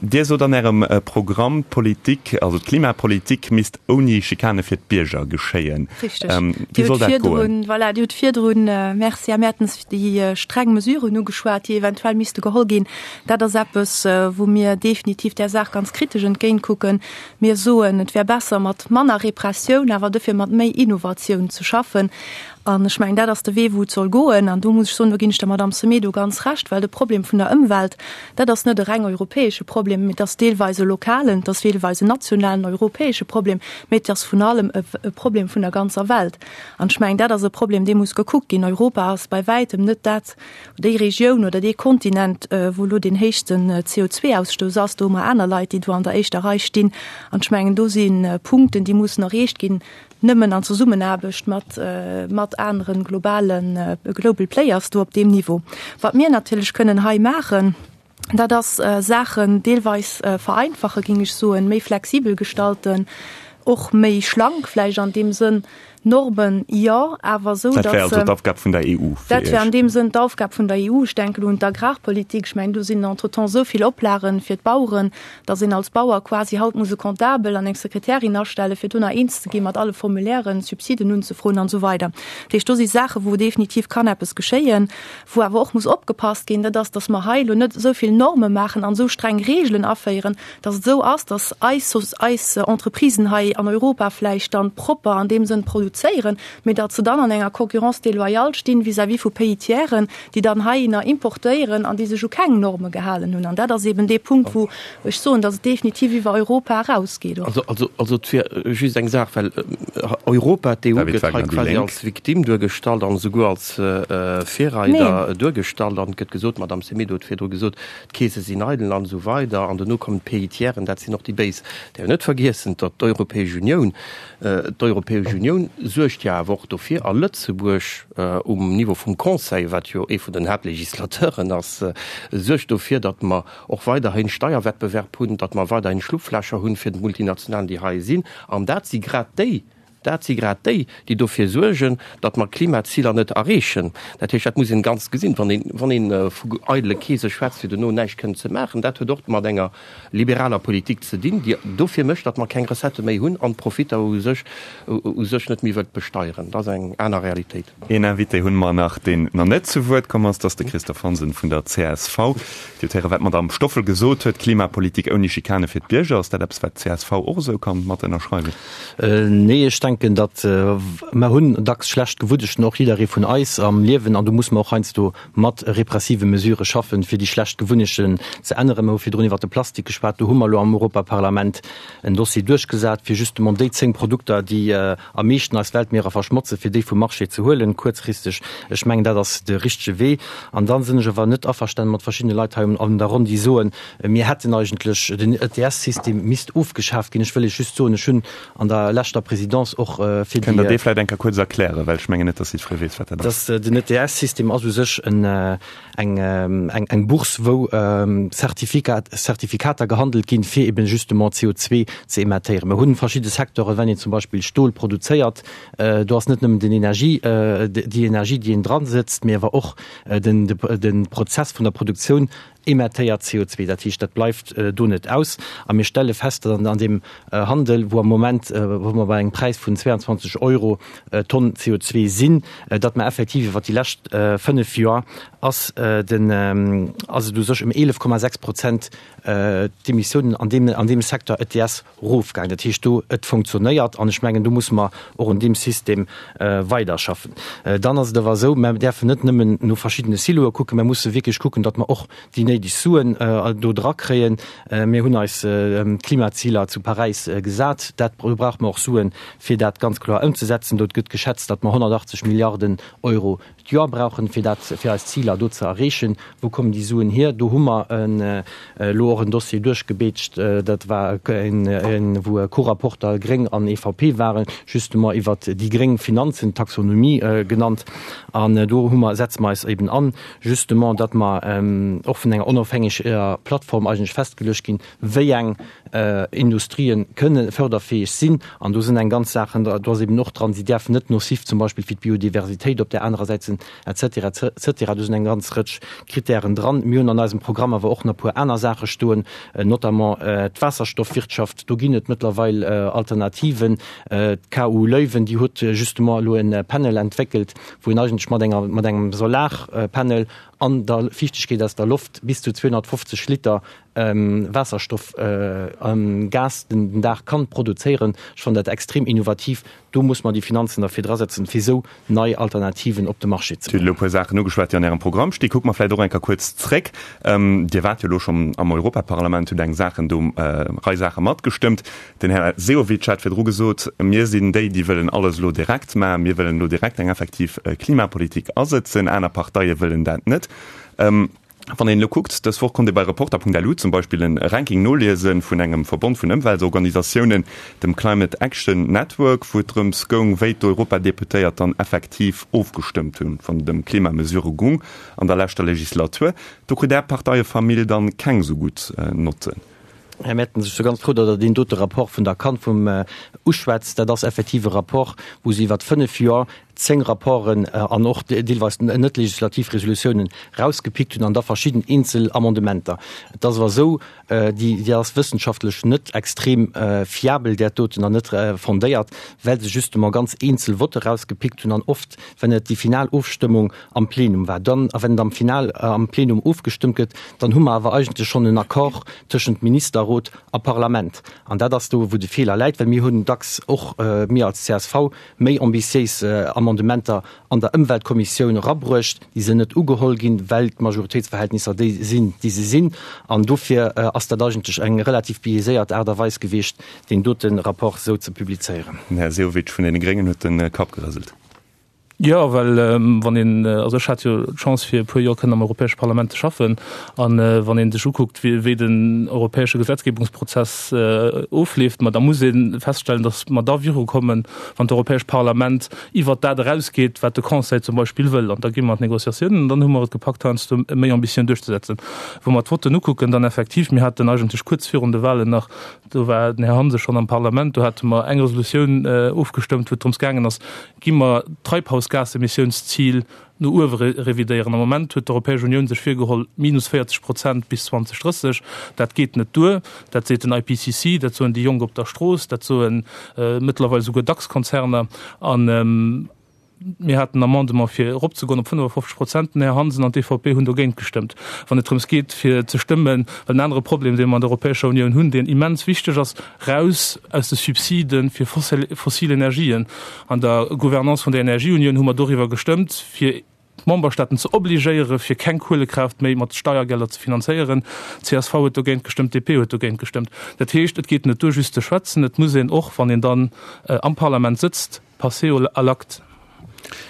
Dir sot an Ärem Programm, d'Politik, also d'Klimapolitik misst ouni Schikane fir d'Bierger geschéien. Richteg. Wéi soll dat goen? Voilà, Dir hutt virdrun, Merci, Här Mertens, déi streng Mesuren ugeschwat, déi eventuell misste geholl ginn. Dat ass eppes, wou mir definitiv där Saach ganz kritesch entgéintkucken. Mir soen, et wär besser, mat manner Repressioun, awer dofir mat méi Innovatioun ze schaffen. An ech mengen, dat ass de Wee, wou et soll goen. An do muss ech soen, do ginn ech der Madame Semedo ganz Recht, well de Problem vun der Ëmwelt, dat ass net e reng europäesche Problem, mee et ass deelweis e lokalen, et ass deelweis en nationalen, europäesche Problem, mee et ass vun allem e Problem vun der ganzer Welt. An ech mengen, dat ass e Problem, dee muss gekuckt ginn. Europa ass bei wäitem net dat, déi Regioun oder dee Kontinent, wou elo deen héchsten C O zwei Ausstouss ass. Do hu mer aner Leit, déi do an der éischter Rei stinn. An ech mengen, do si Punkten, déi mussen erreecht ginn, nëmmen an Zesummenaarbecht mat, mat aneren globalen global players do op deem Niveau. Wat mir natierlech kënnen hei maachen, dat ass Saachen deelweis vereinfachen, géing ech soen, méi flexibel gestalten, och méi schlank vläicht an deem Sënn, Normen, jo, awer esou, Dat wär also d'Aufgab vun der E U fir Dat wär an Iech? deem Sënn d'Aufgab vun der E U. Ech denken elo un d'Agrarpolitik. Ech mengen, do sinn entretemps esou vill Oplagen fir d'Baueren, datt een als Bauer quasi haut muss e Comptabel an eng Sekretärin astellen, fir do nach eens ze gi mat alle Formulairen, Subsiden unzefroen an esou weider. Dat heescht, do si Saachen, wou definitiv kann eppes geschéien, wou awer och muss opgepasst ginn, dat ass, datt mer hei elo net esou vill Norme maachen an esou streng Regelen aféieren, datt et esou ass, datt eis, eis Entreprisen hei an Europa vläicht dann propper an deem Sënn produzéieren, mee datt se dann an enger Concurrence déloyale stinn vis-à-vis vu Pays tiersen, déi dann heihinner importéieren an déi sech u keng Norme gehalen hunn. An dat ass eben dee Punkt, wou ech soen, datt et definitiv iwwer Europa erausgeet och. Also, also, also et wier just eng Saach, well Europa, d'E U David gëtt hei Wagner, déi quasi Lénk. als Victime duergestallt an esouguer als Virreider Neen. duergestallt. An et gëtt gesot, d'Madame Semedo huet virdru gesot, d'Keese sinn eidel an esou weider an duerno kommen d'Pays tiersen, dat sinn och déi Béis. Däerf net vergiessen, datt d'Europäesch Unioun, d'Europäesch Unioun suergt jo awer och dofir, a Lëtzebuerg um Niveau vum Conseil, wat jo ee vun den Haaptlegislateuren ass, suergt dofir, datt mer och weiderhin Steierwettbewerb hunn, datt mer weiderhin Schlupflächer hunn fir d'Multinationalen, déi hei sinn. An dat si grad déi, dat si grad déi, déi dofir suergen, datt mer d'Klimaziler net erreechen. Dat heescht, dat muss een ganz gesinn, wann een, wann een vu eidele Keese schwätzt, fir duerno näischt kënnen ze maachen. Dat huet och mat enger liberaler Politik ze dinn, déi dofir mécht, datt mer keng Recettë méi hunn an d'Profitter u sech, u sech net méi wëllt besteieren. Dat ass eng aner Realitéit. Een Invité hunn mer nach, deen nach net zu Wuert komm ass, dat ass de Christophe Hansen vun der C S V. Dir hutt héieren, wat d'Madame Stoffel gesot huet, Klimapolitik ouni Schikane fir d'Bierger. Ass dat eppes, wat d'C S V och esou kann mat ënnerschreiwen? Nee, ech denken, datt mer hunn dacks schlecht Gewunnechten, och jidderee vun eis am Liewen, an do muss mer och heiansdo mat repressive Mesurë schaffen, fir déi schlecht Gewunnechten ze änneren. Mer hu virdrun iwwert de Plastik geschwat, do hu mer elo am Europaparlament en Dossier duerchgesat, fir justement déi zéng Produkter, déi am meeschten eis Weltmierer verschmotzen, fir déi vum Marché ze huelen, kuerzfristeg. Ech mengen, dat ass de richtege Wee. An da sinn ech awer net averstanen mat verschiddene Leit hei an der Ronn, déi soen, mir hätten eigentlech, den E T S-System misst ofgeschaaft ginn. Ech wëll Iech just soen, ech hunn an der leschter Présidence och fir Kënnt Der déi. dee vläicht eng Kéier kuerz erklären, well ech mengen net, dass jiddweree weess, wat dat ass. Dass den E T S-System ass u sech en, eng, eng, eng Bourse, wou Zertifikat, Zertifikater gehandelt ginn, fir eben justement C O zwei ze emettéieren. Mir hunn verschidde Secteuren, wenn een zum Beispill Stol produzéiert, do ass net nëmmen den Energie, déi Energie, déi een dran sëtzt, mee awer och den, de Prozess vun der Produktioun emettéiert C O zwee. Dat heescht, dat bleift do net aus. A mir stelle fest, datt an deem Handel, wou am Moment, wou mer bei engem Präis vun zweiundzwanzeg Euro d'Tonn C O zwee sinn, datt mer effektiv iwwert déi lescht fënnef Joer ass den, ass et u sech ëm eelef Komma sechs Prozent d'Emissiounen an deem, an deem Secteur E T S erofgaangen. Dat heescht do, et funktionéiert an ech mengen, do musse mer och un deem System weiderschaffen. Dann ass et awer esou, mer däerfen net nëmmen no verschiddene Siloe kucken, mer musse wierklech kucken, datt mer och déi néideg Suen do drakréien. Mir hunn eis Klimaziler zu Paräis gesat. Dat, do brauche mer och Suen, fir dat ganz kloer ëmzesetzen. Do gëtt geschätzt, datt mer honnertachtzeg Milliarden Euro d'Joer brauchen, fir dat, fir eis Ziler do ze erreechen. Wou kommen déi Suen hier? Do hu mer elo och en Dossier duerchgebeetscht, dat war en, en, wou Co-Rapporter Gréng an E V P waren, justement iwwert déi gréng Finanzen, Taxonomie genannt. An do hu mer, setze mer eis eben an, justement, datt mer och vun enger onofhängeger Plattform eigentlech festgeluecht ginn, wéi eng Industrien kënne förderfäeg sinn. An do sinn eng ganz Saachen, do ass eben och dran, si däerfen net nocif zum Beispill fir d'Biodiversitéit op där anerer Säit sinn, et cetera, et cetera. Do sinn eng ganz Rëtsch Kritären dran. Mir hunn an eisem Programm awer och nach e puer aner Saache stoen, notamment d'Waasserstoffwirtschaft. Do ginn et mëttlerweil Alternativen. D'K U Leuven, déi huet justement elo e Panel entwéckelt, wou een eigentlech mat enger, mat engem Solarpanel an der Fiichtegkeet aus der Loft bis zu zweihunnertfünfzig Liter Waasserstoff, Gas den Dag kann produzéieren. Ech fannen dat extrem innovativ. Do muss man déi Finanzen derfir drasetzen, fir esou nei Alternativen op de Marché ze Dir hutt elo e bréngen. puer Saachen ugeschwat, déi an Ärem Programm stinn. Kucke mer vläicht och eng Kéier kuerz zréck. Dir waart jo elo schonn am Europaparlament, hutt eng Saachen do, Rei Saache matgestëmmt. Den Här Sehovic hat virdru gesot, mir sinn déi, déi wëllen alles elo direkt maachen. Mir wëllen elo direkt eng effektiv Klimapolitik asëtzen. Aner Parteie wëllen dat net. Wann een elo kuckt, dës Woch konnt ee bei Reporter punkt L U zum Beispill e Ranking noliese vun engem Verbond vun Ëmweltorganisatiounen, dem Climate Action Network, wou et drëms goung, wéi d'Europadeputéiert dann effektiv ofgestëmmt hunn, wann et ëm Klimamesure gung an der leschter Legislatur. Do kritt Är Parteiefamill dann keng esou gutt Notten. Här Mertens, ech si ganz frou, datt Der deen dote Rapport vun der CAN vum uschwätzt. Dat ass effektiv e Rapport, wou se iwwer fënnef Joer zéng Rapporten an och deelweis net legislativ Resolutiounen rausgepickt hunn an da verschidden eenzel Amendementer. Et ass awer esou, déi, déi ass wëssenschaftlech net extrem fiabel, där doten, an net fondéiert, well se justement ganz eenzel Votte rausgepickt hunn an oft, wenn et déi final Ofstëmmung am Plenum war, dann, a wenn et am Final am Plenum ofgestëmmt gëtt, dann hu mer awer eigentlech schonn en Accord tëschent Ministerrot a Parlament. An dat ass do, wou de Feeler läit, well mir hunn dacks och, mir als C S V, méi ambitiéis Amendementer an der Ëmweltkommissioun erabruecht, déi sinn net ugeholl ginn, well d'Majoritéitsverhältnisser déi sinn, déi se sinn. An dofir ass dat eigentlech eng relativ biaiséiert Aart a Weis gewiescht, deen dote Rapport esou ze publizéieren. Den Här Sehovic vun deene Gréngen huet de Kapp gerëselt. Jo, well wann een, also ech hat jo d'Chance fir e puer Joer kënnen am Europäesche Parlament ze schaffen, an wann ee sech ukuckt, wéi, wéi den europäesche Gesetzgebungsprozess ofleeft, ma da muss ee feststellen, datt mer da virukommen, wann d'Europäescht Parlament iwwert dat erausgeet, wat de Conseil zum Beispill wëll. An da gi mer an d'Négociatiounen an dann hu mer et gepackt, heiansdo méi Ambitioun duerchzesetzen. Wa mer d'Votten ukucken, dann effektiv, mir haten eigentlech kuerz virun de Wahlen nach, do war den Här Hansen schonn am Parlament, do hate mer eng Resolutioun ofgestëmmt, wou et drëms gaangen ass, gi mer d'Treibhausgasemissiounsziel no uewe revidéieren. Am Moment huet d'Europäesch Unioun sech virgeholl, minus véierzeg Prozent bis zwanzeg drësseg. Dat geet net duer. Dat seet den I P C C, dat soen déi Jonk op der Strooss, dat soen mëttlerweil souguer DAX-Konzerner. An mir haten en Amendement fir eropzegoen op fënnefofzeg Prozent. Den Här Hansen an d'E V P hunn dogéint gestëmmt. Wann et drëms geet, fir ze stëmmen, well en anere Problem, dee mer an der Europäescher Unioun hunn, deen immens wichteg ass, raus aus de Subsiden fir fossil, fossil Energien. An der Gouvernance vun der Energieunioun hu mer doriwwer gestëmmt, fir d'Memberstaaten ze obligéieren, fir keng Kohlekraft méi mat Steiergelder ze finanzéieren. C S V huet dogéint gestëmmt, D P huet dogéint gestëmmt. Dat heescht, et geet net duer, just ze schwätzen, et muss een och, wann een dann am Parlament sëtzt, passer à l'acte.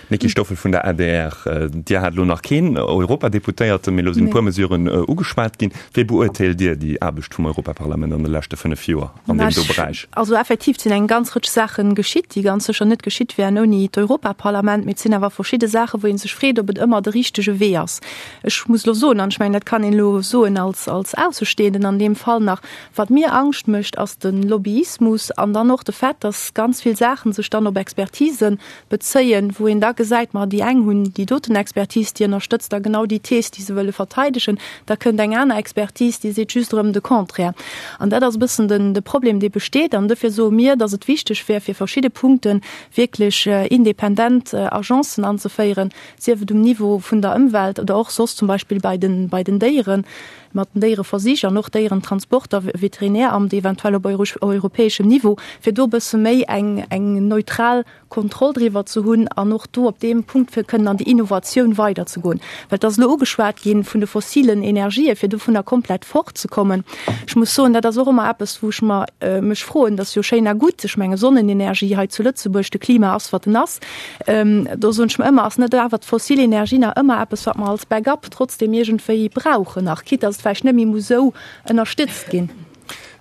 Niki Stoffel vun der A D R, Dir hat elo nach keen Europadeputéierte, mee elo sinn e puer Mesuren ugeschwat ginn. Wéi beurteelt Dir déi Aarbecht vum Europaparlament an de leschte fënnef Joer an deem do Beräich? Also effektiv sinn eng ganz Rëtsch Saachen geschitt, déi ganz sécher net geschitt wären ouni d'Europaparlament, mee et sinn awer verschidde Saachen, wou ee sech freet, ob et ëmmer de richtege Wee ass. Ech muss elo soen, an ech mengen, dat kann een elo soen als, als Aussestehenden an deem Fall nach, wat mir Angscht mécht, ass de Lobbyismus an dann och de Fait, dass ganz vill Saachen sech dann op Expertisen bezéien, wou een da gesäit, ma déi eng hunn déi doten Expertise, déi ënnerstëtzt da genau déi Thees, déi se wëlle verteidegen, da kënnt eng aner Expertise, déi seet just erëm de Contraire. An dat ass e bëssen den, de Problem, dee besteet. An dofir soe mir, dass et wichteg wär, fir verschidde Punkte wierklech independent Agencen anzeféieren, sief et um Niveau vun der Ëmwelt oder och soss zum Beispill bei den, bei den Déieren, mat den Déiereversich an och Déierentransporter, Veterinäramt eventuell op europäeschem Niveau, fir do e bësse méi eng, eng neutral Kontroll driwwer ze hunn an och do op deem Punkt fir kënnen an déi Innovatioun weiderzegoen. Well et ass elo ugeschwat gi vun de fossilen Energien, fir dovunner komplett fortzekommen. Ech muss soen, dat ass och ëmmer eppes, wou ech mer, mech froen, dat ass jo schéin a gutt, ech menge Sonnenenergie hei zu Lëtzebuerg, de Klima ass wat en ass, do soen ech mer ëmmer, ass net awer d'fossil Energie nach ëmmer eppes, wat mer als Backup trotzdem iergendwéi brauchen nach, quitte dass et vläicht net méi muss esou ënnerstëtzt ginn.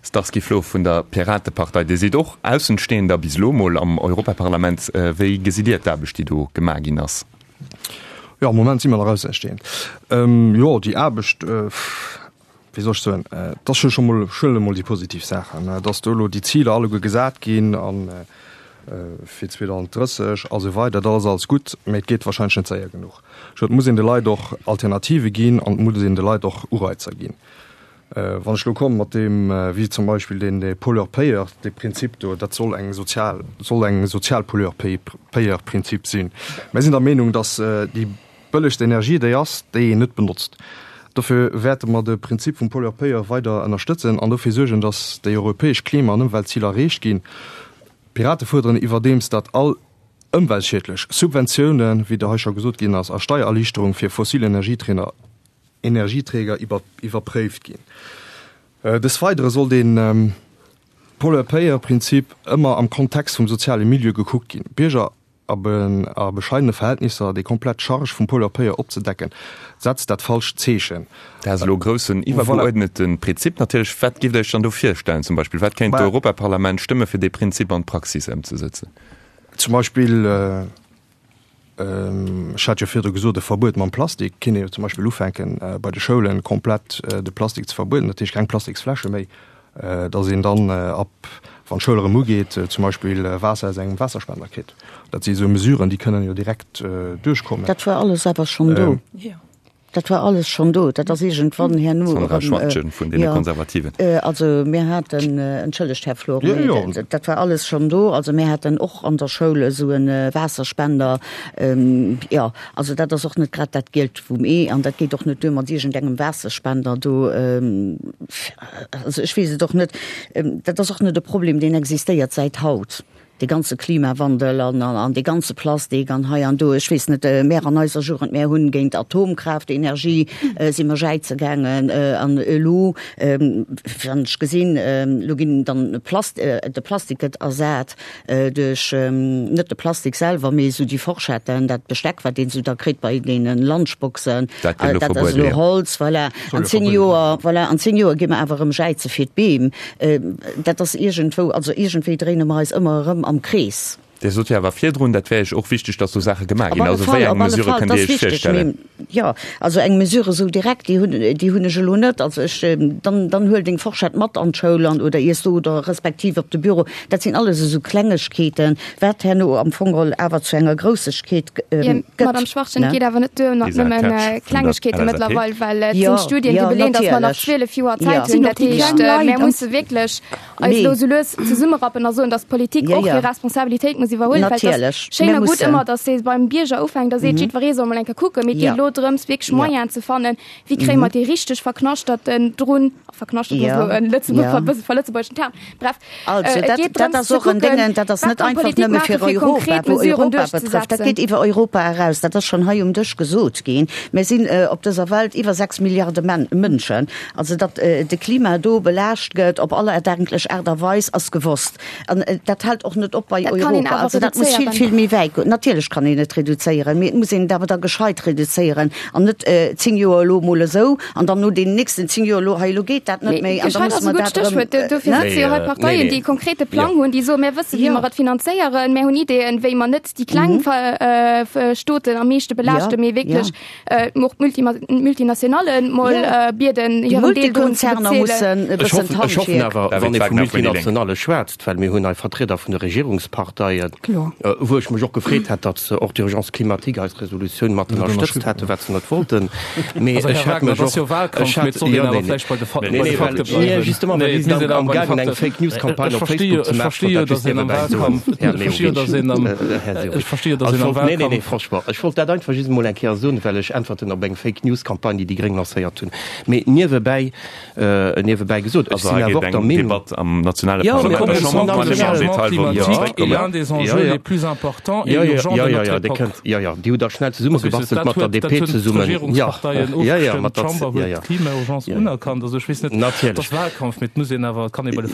Starsky Flor vun der Piratepartei, Dir sidd och Aussenstehender bis elo mol am Europaparlament. Wéi gesitt Dir d'Aarbecht, déi do gemaach ginn ass? Jo, am Moment si mer nach Aussenstehend. Jo, déi Aarbecht, wéi soll ech soen, et ass jo scho mol, ech huelen emol déi positiv Saachen, dass do elo déi Ziler alleguer gesat ginn a fir zweedausenddrësseg a sou weider, dat ass alles gutt, mä et geet wahrscheinlech net séier genuch. Ech et muss een de Leit och Alternative ginn an et muss een de Leit och Ureizer ginn. Wann ech elo komme mat deem, wéi zum Beispill deen dee Pollueur-payeur, dee Prinzip do, dat soll eng sozial, soll eng sozial Pollueur-payeur-Prinzip sinn. Mir sinn der Meenung, dass déi bëllegst Energie déi ass, déi een net benotzt. Dofir wäerte mer de Prinzip vum Pollueur-payeur weider ënnerstëtzen an dofir suergen, dass déi europäesch Klima an Ëmweltziler erreecht ginn. D'Pirate fuerderen iwwerdeems, datt all ëmweltschiedlech Subventiounen, wéi der hei scho gesot ginn ass, a Steiererliichterung fir fossil Energieträger iwwerpréift ginn. Des Weidere soll de Pollueur-Payeur-Prinzip ëmmer am Kontext vum soziale Milieu gekuckt ginn. Bierger a bescheidene Verhältnisser déi komplett Charge vum Pollueur-Payeur opzedecken, setzt dat falscht Zeechen. Dat ass elo e groussen iwwergeuerdnete Prinzip natierlech. Wat giff Der Iech dann do virstellen zum Beispill? Wat kéint d'Europaparlament stëmme fir dee Prinzip an d'Praxis ëmzesëtzen? Zum Beispill, ech hat jo virdru gesot, e Verbuet mam Plastik kéint ee jo zum Beispill ufänken, bei de Schoulen komplett de Plastik ze verbueden, dat heescht keng Plastiksfläsche méi, dass een dann ab, wann d'Schoul erëm ugeet, zum Beispill Waasser aus engem Waasserspender kritt. Dat si sou Mesuren, déi kënnen jo direkt duerchkommen. Dat war alles awer schonn do. Dat war alles schonn do. Dat ass iergendwann herno erëm. Sandra Schwachtgen vun deene Konservativen. Also mir haten, entschëllegt Här Flor, mee dat war alles schonn do. Also mir haten och an der Schoul esou e Waasserspender. Jo, also dat ass och net grad dat Gielt vum Ee an dat geet och net duer mat iergendengem Waasserspender do. Also ech weess et och net. Dat ass och net e Problem, deen existéiert säit haut. Dee ganze Klimawandel an an dee ganze Plastik an hei an do, ech weess net, mär an eiser Jugend, mär hunn géint Atomkraftenergie si mer jäize gaangen an elo, wann ech gesinn, elo ginn dann Plast, de Plastik gëtt ersat duerch, net de Plastik selwer, mee esou déi Forschetten, dat Besteck, wat een esou da kritt bei deene Lunchboxen, Dat gëtt elo dat ass verbueden, elo jo. Holz, voilà. An zéng Joer, voilà, an zéng Joer gi mer awer erëm jäize fir d'Beem. Dat ass iergendwou, also iergendwéi dréine mer eis ëmmer erëm am Krees. Dir sot jo awer virdrun, dat wär Iech och wichteg, datt do Saache gemaach Op ginn. alle Also Fall, wéi eng op alle Mesurë Fall, kënnt dat Dir ass Iech wichteg. virstellen? Mee jo, also eng Mesure esou direkt, déi hunn, déi hunn ech elo net. Also ech, dann, dann huel deng Forschett mat an d'Schoul an oder iess do oder respektiv op de Büro. Dat sinn alles esou Klengegkeeten, wat herno am Fong geholl awer zu enger Groussegkeet Jo, gëtt, Madame Schwachtgen, et ne? geet awer net duer mat Lisa nëmmen Kersch vun der Klengegkeete L S A P. mëttlerweil, well et Jo, sinn Studien, déi jo, beleen, datt mer nach natierlech. zwielef Joer Jo. Zäit hunn. Sinn och Dat déi heescht, kleng Leit mär an musse wierklech eis Nee. elo sou lues zesummerappen a soen, datt d'Politik Ja, och ja. hir Responsabilitéit muss iwwerhuelen, well et ass Natierlech. schéin Mir a gutt mussen. ëmmer, datt ee beim Bierger ufänkt a seet, jiddweree soll mol eng Kéier kucken, mee et geet Ja. elo drëms, wierklech Ja. Moyenen ze fannen, wéi kréie mer déi richteg Verknaschterten drun, verknaschterten ass Ja. elo en Lëtzebuerg, Ja. e bësse verlëtzebuergeschen Term, bref, Also et dat, geet dat drëms ass ze och en kucken, Déngen, dat ass wat net kann einfach d'Politik nëmme maachen, fir fir Europa, konkret wou Mesuren Europa betrëfft. Dat duerchzesetzen. geet iwwer Europa eraus. Dat ass schonn hei um Dësch gesot ginn. Mir sinn op dëser Welt iwwer sechs Milliarde Men Mënschen. Also datt de Klima do belaascht gëtt op aller erdenklech Aart a Weis, ass gewosst. An dat hält och net op bei Dat kann een Europa. awer Also dat muss vill, reduzéieren. vill méi wäit goen. Natierlech kann een et reduzéieren, mee et muss een et awer da gescheit reduzéieren an net zéng Joer elo mol esou an dann no deenen nächsten zéng Joer elo, hei elo geet dat net Mee méi an da gescheit musse ass e mer gutt dat erëm, Stéchwuert. Dofir ne? sëtze jo hei Parteien, déi e konkrete Plang hunn, déi soen, Mir wëssen, wéi Jo. mer et finanzéieren, mir hunn Ideeën, wéi mer net déi kleng Stoten am meeschte belaaschten, Jo, mee wierklech jo. och d'Multinationallen mol bieden, Déi hiren Deel drun ze Multikonzerner bezuelen. mussen e Ech bëssen hoffen, ech hoffen d'Handwierk. awer, David wann ee vu Wagner vun déi Lénk. Multinationale schwätzt, well mir hunn hei Vertrieder vun de Regierungsparteien, maachen, wou ech mech och gefreet hätt, datt se och d'Urgence climatique, eis Resolutioun, mat ënnerstëtzt hätten, wat se net wollten. Mee ech hätt mech och, ech hätt, jo, nee, nee, justement, well si sinn amgaangen, eng Fake-News-Campagne op Facebook ze maachen, ech wollt dat just niewebäi soen, Här Leo. Här Sehovic. Also, ech wollt, nee, nee, nee, franchement, ech wollt dat einfach just emol eng Kéier soen, well ech äntwerten op eng Fake-News-Campagne, déi déi Gréng lancéiert hunn. Mee niewebäi, niewebäi gesot, ech sinn awer och der Meenung. Debatt am nationale Parlament, der Chamber, wou mer am Detail wollen drop zréckkommen. Jo, jo, jo, jo, jo, Dir kënnt, jo, jo, Dir hutt der schnell zesummebastelt mat der D P zesummen. Jo, jo, jo, mat der, jo, jo. Natierlech.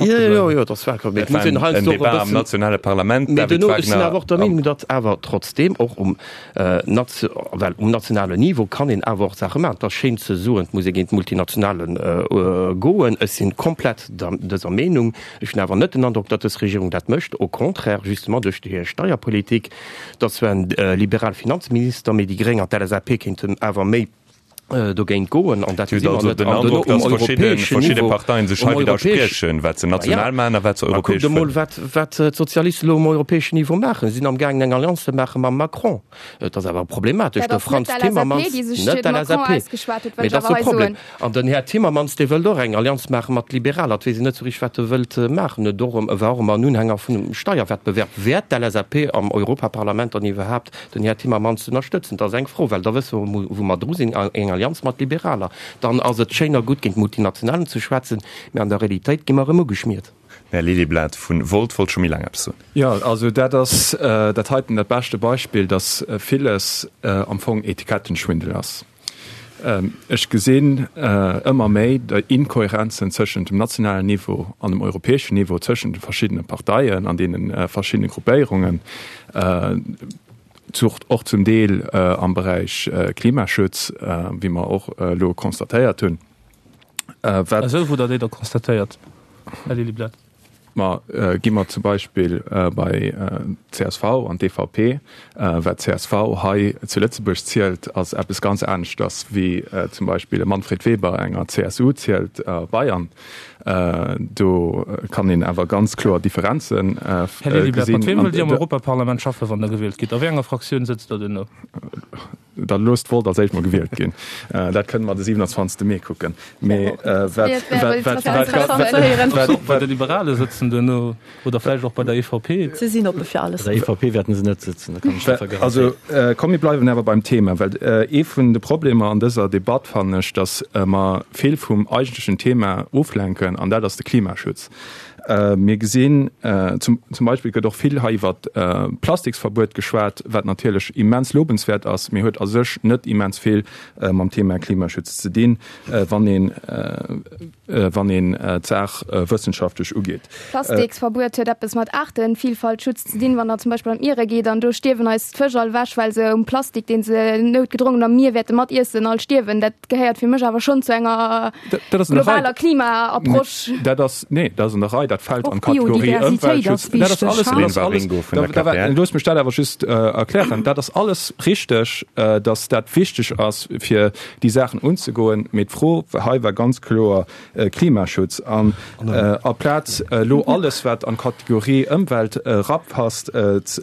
Jo, jo, jo, et ass Wahlkampf, mee et muss een heiansdo och e bëssen. Am nationale Parlament, David Wagner. Mee duerno, ech sinn awer och der Meenung, datt awer trotzdeem och um well um nationalen Niveau kann een awer och Saache maachen. Et ass schéin ze soen, et muss ee géint d'Multinationale goen. Ech si komplett dëser Meenung. Ech hunn awer net den Androck, datt dës Regierung dat mécht. Au contraire, justement duerch hir Steierpolitik. Et ass zwar en liberale Finanzminister, mee déi Gréng an d'L S A P kéinten awer méi dogéint goen an dat Dir hutt also den Androck, datt verschidde verschidde Parteien sech hei widderspriechen, wat se national maachen a wat se europäesch wëllen. Kuckt emol, wat wat d'Sozialisten elo um europäeschen Niveau maachen. Si sinn amgaangen eng Allianz ze maache mam Macron. Et ass awer problematesch. De Frans Timmermans, net d'L S A P, mee dat ass e Problem. An den Här Timmermans, dee wëllt och eng Allianz maache mat Liberaler. Et weess een net esou richteg, wat e wëllt maachen. Et och war och ëmmer en Unhänger vun Steierwettbewerb. Wäert d'L S A P am Europaparlament dann iwwerhaapt den Här Timmermans ënnerstëtzen? Dat ass eng Fro, well da wësse mer, wou mer dru sinn, eng Allianz mat Liberaler. Dann ass et schéin a gutt, géint Multinationalen ze schwätzen, mä an der Realitéit gi mer erëm ugeschmiert. Den Här Lilliblad vu Volt wollt scho méi laang eppes soen. Jo, also dat ass dat heiten dat beschte Beispill, dass villes am Fong Etikettenschwindel ass. Ech gesinn ëmmer méi déi Inkohärenzen tëschent dem nationalen Niveau an dem europäeschen Niveau, tëschent de verschiddene Parteien an deene verschiddene Gruppéierungen, och zum Deel am Beräich Klimaschutz, wéi mer och elo constatéiert hunn. Esou wou Der déi da constatéiert, Här Lilliblad? Ma gi mer zum Beispill bei d'C S V an d'E V P. Wat d'C S V hei zu Lëtzebuerg zielt, ass eppes ganz aneschters wéi zum Beispill e Manfred Weber enger C S U zielt a Bayern. Do kann een awer ganz kloer Differenzen Här Lilliblad, mat weem wëllt Dir am Europaparlament schaffen, wann Der gewielt gitt? A wéi enger Fraktioun sëtzt Der duerno? Da loosst d'Volt als éischt mol gewielt ginn. Dat kënne mer de siewenundzwanzegste Mee kucken. Mee wat, wat, wat, wat, wat. Bei de Liberale sëtzen duerno oder vläicht och bei der E V P. Si sinn oppe fir alles. Bei der E V P wäerten se net sëtzen, dat kann ech der garantéieren. Also komm, mir bleiwen awer beim Thema, well ee vun de Problemer an dëser Debatt fannen ech, datt mer vill vum eigentlechen Thema oflenken, an dat ass de Klimaschutz. Mir gesinn, zum Beispill gëtt och vill hei iwwer Plastiksverbuet geschwat, wat natierlech immens lobenswäert ass, mee huet a sech net immens vill mam Thema Klimaschutz ze dinn, wann een, wann een d'Saach wëssenschaftlech ugeet. Plastiksverbuet huet eppes mat Aartevielfaltschutz ze dinn, wann Der zum Beispill an d'Miere geet an do stierwen eis d'Fësch all ewech, well se um Plastik, dee se noutgedrongen am Mier wäerte mat iessen, all stierwen. Dat gehéiert fir mech awer schonn zu enger globaler Klima-Approche. Dat ass, nee, dat ass an der Rei, dat fält an d'Kategorie Ëmweltschutz. Dat ass alles, dat ass alles, looss mech dat awer just erklären. Dat ass alles richteg, datt dat wichteg ass, fir déi Saachen unzegoen. Mee d'Fro hei war ganz kloer Klimaschutz. An aplaz elo alles, wat an d'Kategorie Ëmwelt erapasst,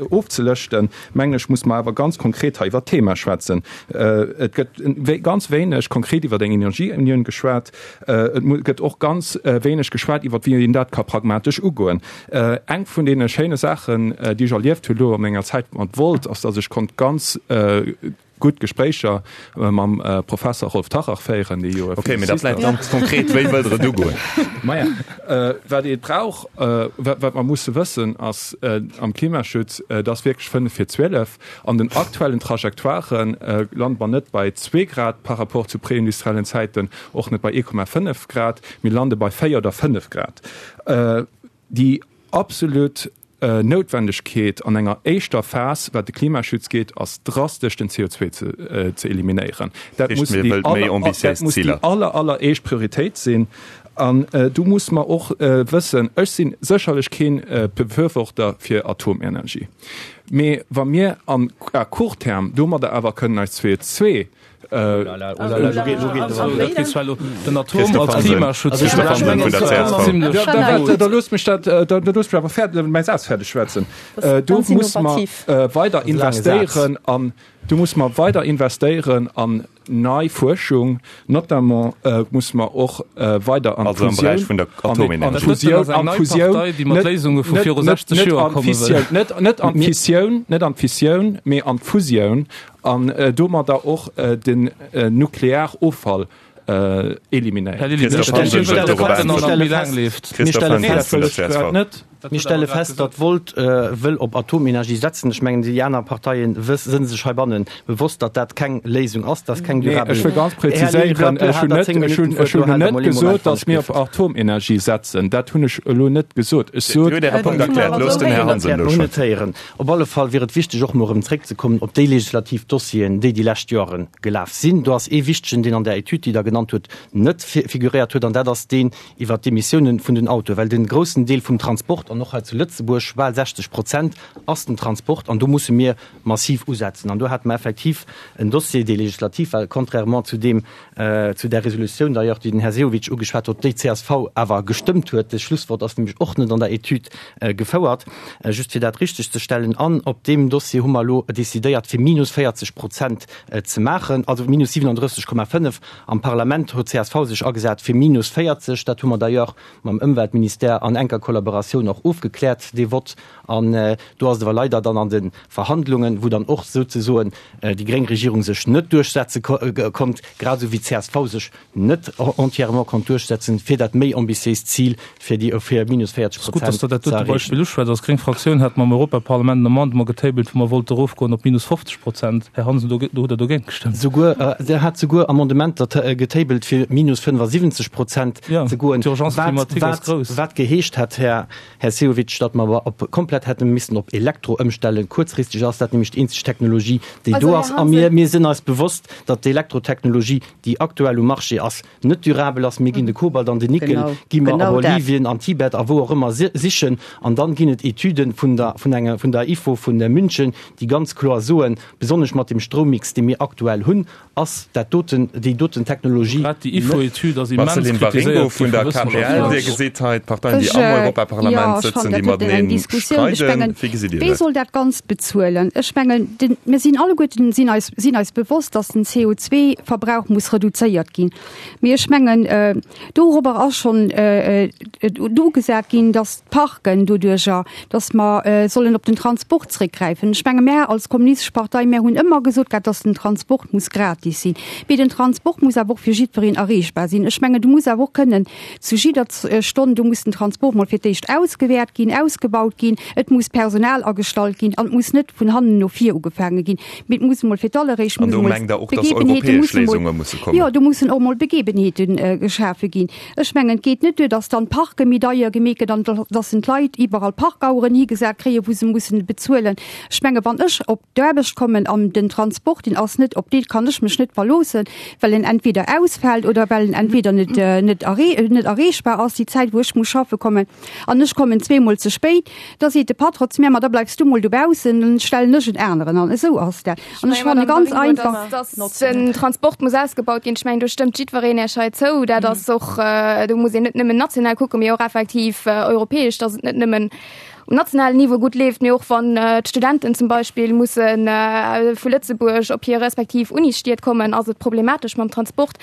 ofzelëschten, mengen ech, muss mer awer ganz konkret hei iwwert d'Thema schwätzen. Et gëtt ganz wéineg konkret iwwer eng Energieunioun geschwat. Et gëtt och ganz wéineg geschwat iwwer wéi een dat ka pragmatesch ugoen. Eng vun deene schéine Saachen, déi ech erlieft hu lo a menger Zäit mat Volt, ass, datt ech konnt ganz gutt Gespréicher mam Professer Rolf Tarrach féieren, dee jo e Okay, mee da vläicht ganz konkret, Wéi wëllt Der et ugoen? Maja, wat ee brauch, wat mer musse wëssen, ass am Klimaschutz, et ass wierklech fënnef vir zwielef. An den aktuellen Trajectoiren lande mer net bei zwee Grad par rapport zu preindustriellen Zäiten, och net bei ee Komma fënnef Grad, mir lande bei véier oder fënnef Grad. Déi absolut Noutwendegkeet an enger éischter Phas, wat de Klimaschutz geet, ass drastesch den C O zwee ze eliminéieren. Dat muss déi aller, alleréischt Prioritéit sinn. An do muss mer och wëssen, ech si sécherlech kee Befürworter fir Atomenergie, mee wa mir an à court terme domadder awer kënnen eis C O zwee Den Atom als Klimaschutz. Da loosst mech dat, da loosst mech awer fäerdeg, mäi Saz fäerdeg schwätzen. Do muss mer weider investéieren an, do muss mer weider investéieren an nei Fuerschung, notamment muss mer och weider an d'Fusioun, an d'Fusioun, an d'Fusioun, net net an d'Fissioun, net an d'Fissioun, mee an d'Fusioun an domadder och den Nuklearoffall eliminéieren. Mir stelle fest, datt Volt wëll op Atomenergie setzen. Ech mengen, déi aner Parteien sënn sech heibanne bewosst, datt dat keng Léisung ass, datt keng durabel. Ech wëll ganz präziséieren, ech hunn net, ech hunn, ech hunn net gesot, datt mir op Atomenergie setzen. Dat hunn ech elo net gesot. Ech sot. Dir hutt Äre Punkt erkläert. Loosst den Här Hansen elo schwätzen. Op alle Fall wier et wichteg, och emol erëm zréckzekommen op déi legislativ Dossieren, déi déi lescht Joere gelaf sinn. Do ass ee wichtegen, deen an där Etüd, déi Der genannt hutt, net figuréiert huet, an dat ass deen iwwert d'Emissiounen vun den Autoen, well de groussen Deel vum Transport, an och hei zu Lëtzebuerg, bal sechzeg Prozent ass den Transport, an do musse mir massiv usetzen. An do hate mer effektiv en Dossier, dee legislativ war, contrairement zu deem, zu där Resolutioun d'ailleurs, déi den Här Sehovic ugeschwat huet, déi d'CSV awer gestëmmt huet. De Schlusswort ass nämlech och net an der Etüd gefouert, just fir dat richtegzestellen. An op deem Dossier hu mer elo decidéiert, fir minus véierzeg Prozent ze maachen, also minus siwenandrësseg Komma fënnef. Am Parlament huet csv sech agesat fir minus véierzeg. Dat hu mer d'ailleurs mam Ëmweltministère an enker Kollaboratioun och ofgekläert, dee Vott. An do ass et awer leider dann an de Verhandlungen, wou dann och souzesoen déi gréng Regierung sech net duerchsetze konnt, grad esou wéi csv sech net entièrement konnt duerchsetzen, fir dat méi ambitiéist Zil fir déi fir minus véierzeg Ass gutt, Prozent dass Der dat ze dote erreechen. Beispill uschwätzt. Als gréng Fraktioun hate mer am Europaparlament en Amendement getabelt, wou mer wollte erofgoen op minus fofzeg Prozent. Här Hansen, do do hutt Der dogéint gestëmmt. Souguer, Der hat souguer Amendementer getabelt, fir minus fënnefasiwwenzeg Prozent Ja, ze goen, d'Urgence wat, climatique ass wat, grouss. wat geheescht hätt, Här, Här Sehovic, datt mer awer op, komplett hätte missen op Elektro ëmstellen. Kuerzfristeg ass dat nämlech déi eenzeg Technologie, déi Also, do Här ass. A mir, Hansen. mir sinn eis bewosst, datt d'Elektrotechnologie, déi aktuell um Marché ass, net durabel ass. Mir ginn de Kobalt an den Nickel Genau, gi mer a genau dat. Bolivien, an Tibet a wou och ëmmer sichen. An dann ginn et Etüden vun der, vun enger, vun der ifo vun München, déi ganz kloer soen, besonnesch mat dem Stroummix, dee mir aktuell hunn, ass dat doten, déi doten Technologie Grad déi ifo-Etüd ass immens Marceline Waringo kritiséiert gi vun vu der K P L, Wëssenschaftlern. Dir gesitt hei d'Parteien, déi Ech, am jo, Europaparlament ech sëtzen, fannen, déi dat huet eng mateneen Diskussioun. Ech streiden. mengen, Wéi gesitt Dir wee dat? soll dat Ganzt bezuelen? Ech mengen, den, mir sinn alleguerten sinn eis, sinn eis bewosst, dass den C O zwei Verbrauch muss reduzéiert ginn. Mee ech mengen, dorobber ass schonn ugesat ginn, dass d'Parken doduerjer, dass mer sollen op den Transport zréckgräifen. Ech menge mär als Kommunistesch Partei, mär hunn ëmmer gesot gehat, dass den Transport muss gratis sinn. Mee den Transport muss awer och fir jiddwereen erreechbar sinn. Ech mengen, du muss awer och kënnen zu jidder Stonn, do muss den Transport mol fir d'éischt ausgewäert ginn, ausgebaut ginn, et muss Personal agestallt ginn an et muss net vun hannen no vir ugefaange ginn, mee et muss mol fir d'alleréischt An muss do mol mengt Der och, dass Begebenheete europäesch musse mol, Léisunge musse kommen? jo, do mussen och mol Begebenheete geschafe ginn. Ech mengen, et geet net duer, dass dann d'Parke méi deier gemeet gëtt an dass en d'Leit iwwerall Parkaueren higesat kréien, wou se mussen bezuelen. Ech menge wann ech op d'Aarbecht kommen an den Transport, deen ass net, op dee kann ech mech net verloossen, well en entweder ausfält oder well en entweder net, net erree, net erreechbar ass déi Zäit, wou ech muss schaffe kommen an ech kommen zweemol ze spéit, da seet de Patron zu mir, ma da bleifs du mol dobaussen, dann stellen ech en aneren an. Esou ass dat. An ech fanne ganz einfach. Dass den Transport muss ausgebaut ginn, ech mengen, do stëmmt jiddwereen Iech hei zou. Dat ass och, do muss een net nëmmen national kucken, mee och effektiv europäesch, dass et net nëmmen um nationalen Niveau gutt leeft, mee och wann d'Studenten zum Beispill musse vu Lëtzebuerg op hir respektiv Unisstied kommen, ass et problematesch mam Transport.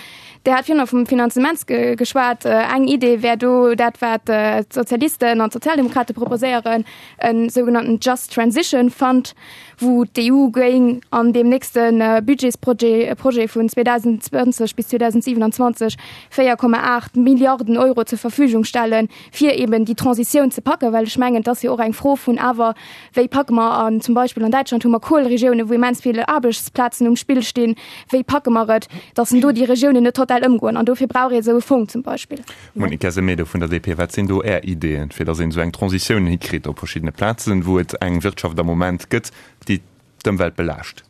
Dir hat virun vum Finanzement geschwat. Eng Idee wär do dat, wat d'Sozialisten an d'Sozialdemokrate proposéieren, e sougenannten Just Transition Fund, wou d'E U géing an deem nächste Budgetsprojet Projet vun zweedausendzwanzeg bis zweedausendsiewenundzwanzeg véier Komma aacht Milliarden Euro zur Verfügung stellen, fir eben déi Transitioun ze packen, well ech mengen, et ass jo och eng Fro vun awer, wéi packe mer an, zum Beispill an Däitschland hu mer Kueleregiounen, wou immens vill Aarbechtsplazen um Spill stinn, wéi packe mer et, datt en do déi Regiounen net total ëmgoen? An dofir brauch ee esou e Fong zum Beispill. Monica Semedo vun der D P, wat sinn do Är Ideeën, fir datt een esou eng Transitioun hikritt op verschiddene Plazen, wou et eng Wirtschaft am Moment gëtt, déi d'Ëmwelt belaascht?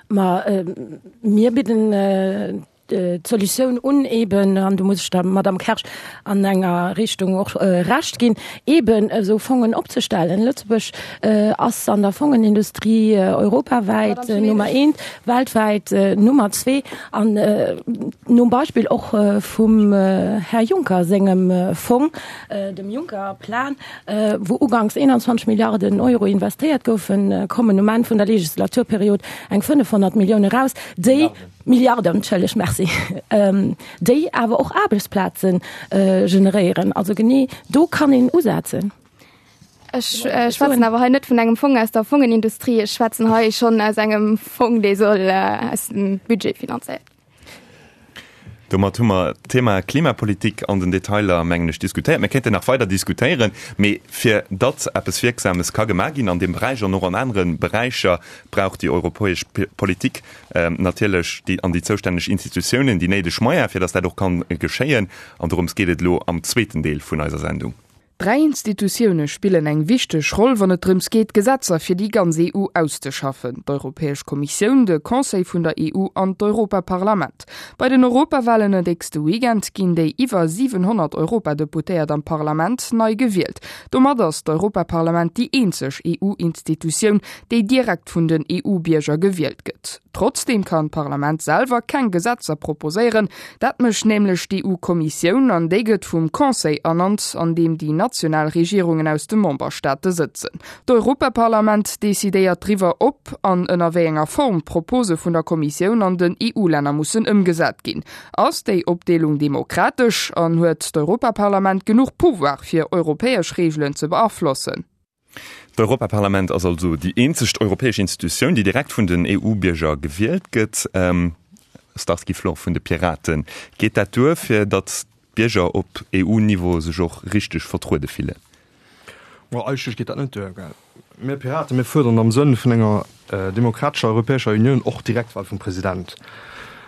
Ma mir bidden d'Solutioun un eben, an do muss ech der Madame Kersch an enger Richtung och Recht ginn, eben esou Fongen opzestellen. Lëtzebuerg ass an der Fongenindustrie europawäit Nummer eent, weltwäit Nummer zwee an nom Beispill och vum Här Juncker sengem Fong, dem Juncker-Plan, wou uganks einundzwanzeg Milliarden Euro investéiert goufen, kommen um Enn vun der Legislaturperiod eng fënnefhonnert Millioune raus, déi, Milliarden, entschëlleg, merci, déi awer och Aarbechtsplaze generéieren. Also genee do kann een usetzen. Ech schwätzen awer hei net vun engem Fong aus der Fongenindustrie, ech schwätzen hei schonn aus engem Fong, dee soll aus dem Budget finanzéiert ginn. Domat hu mer d'Thema Klimapolitik an den Detailer, mengen ech, diskutéiert. Mir kéinten nach weider diskutéieren, mee fir datt eppes Wierksames ka gemaach ginn an deem Beräich an och an anere Beräicher, brauch déi europäesch Politik natierlech déi an déi zoustänneg Institutiounen déi néideg Moyene, fir datt dat och kann geschéien. An dorëms geet et elo am zweeten Deel vun eiser Sendung. Dräi Institutioune spillen eng wichteg Roll, wann et drëms geet, Gesetzer fir déi ganz E U auszeschaffen, d'Europäesch Kommissioun, de Conseil vun der E U an d'Europaparlament. Bei den Europawalen en nächste Weekend ginn déi iwwer siwenhonnert Europadeputéiert am Parlament nei gewielt. Domat ass d'Europaparlament déi eenzeg E U-Institutioun, déi direkt vun den E U-Bierger gewielt gëtt. Trotzdeem kann d'Parlament selwer keng Gesetzer proposéieren. Dat mécht nämlech d'E U-Kommissioun an déi gëtt vum Conseil ernannt, an deem déi national Regierungen aus de Memberstaate sëtzen. D'Europaparlament decidéiert driwwer, ob an ënner wéi enger Form d'Propose vun der Kommissioun an den E U-Länner mussen ëmgesat ginn. Ass déi Opdeelung demokratesch an huet d'Europaparlament genuch Pouvoir fir europäesch Reegelen ze beaflossen? D'Europaparlament ass also déi eenzegt europäesch Institutioun, déi direkt vun den E U-Bierger gewielt gëtt. Starsky Flor vun de Piraten, Geet dat duer, fir datt d'Bierger op E U-Niveau sech och richteg vertruede fillen? Bon, eigentlech geet dat net duer. Mir Piraten, mir fuerderen am Sënn vun enger demokratescher Europäescher Unioun och Direktwahl vum President.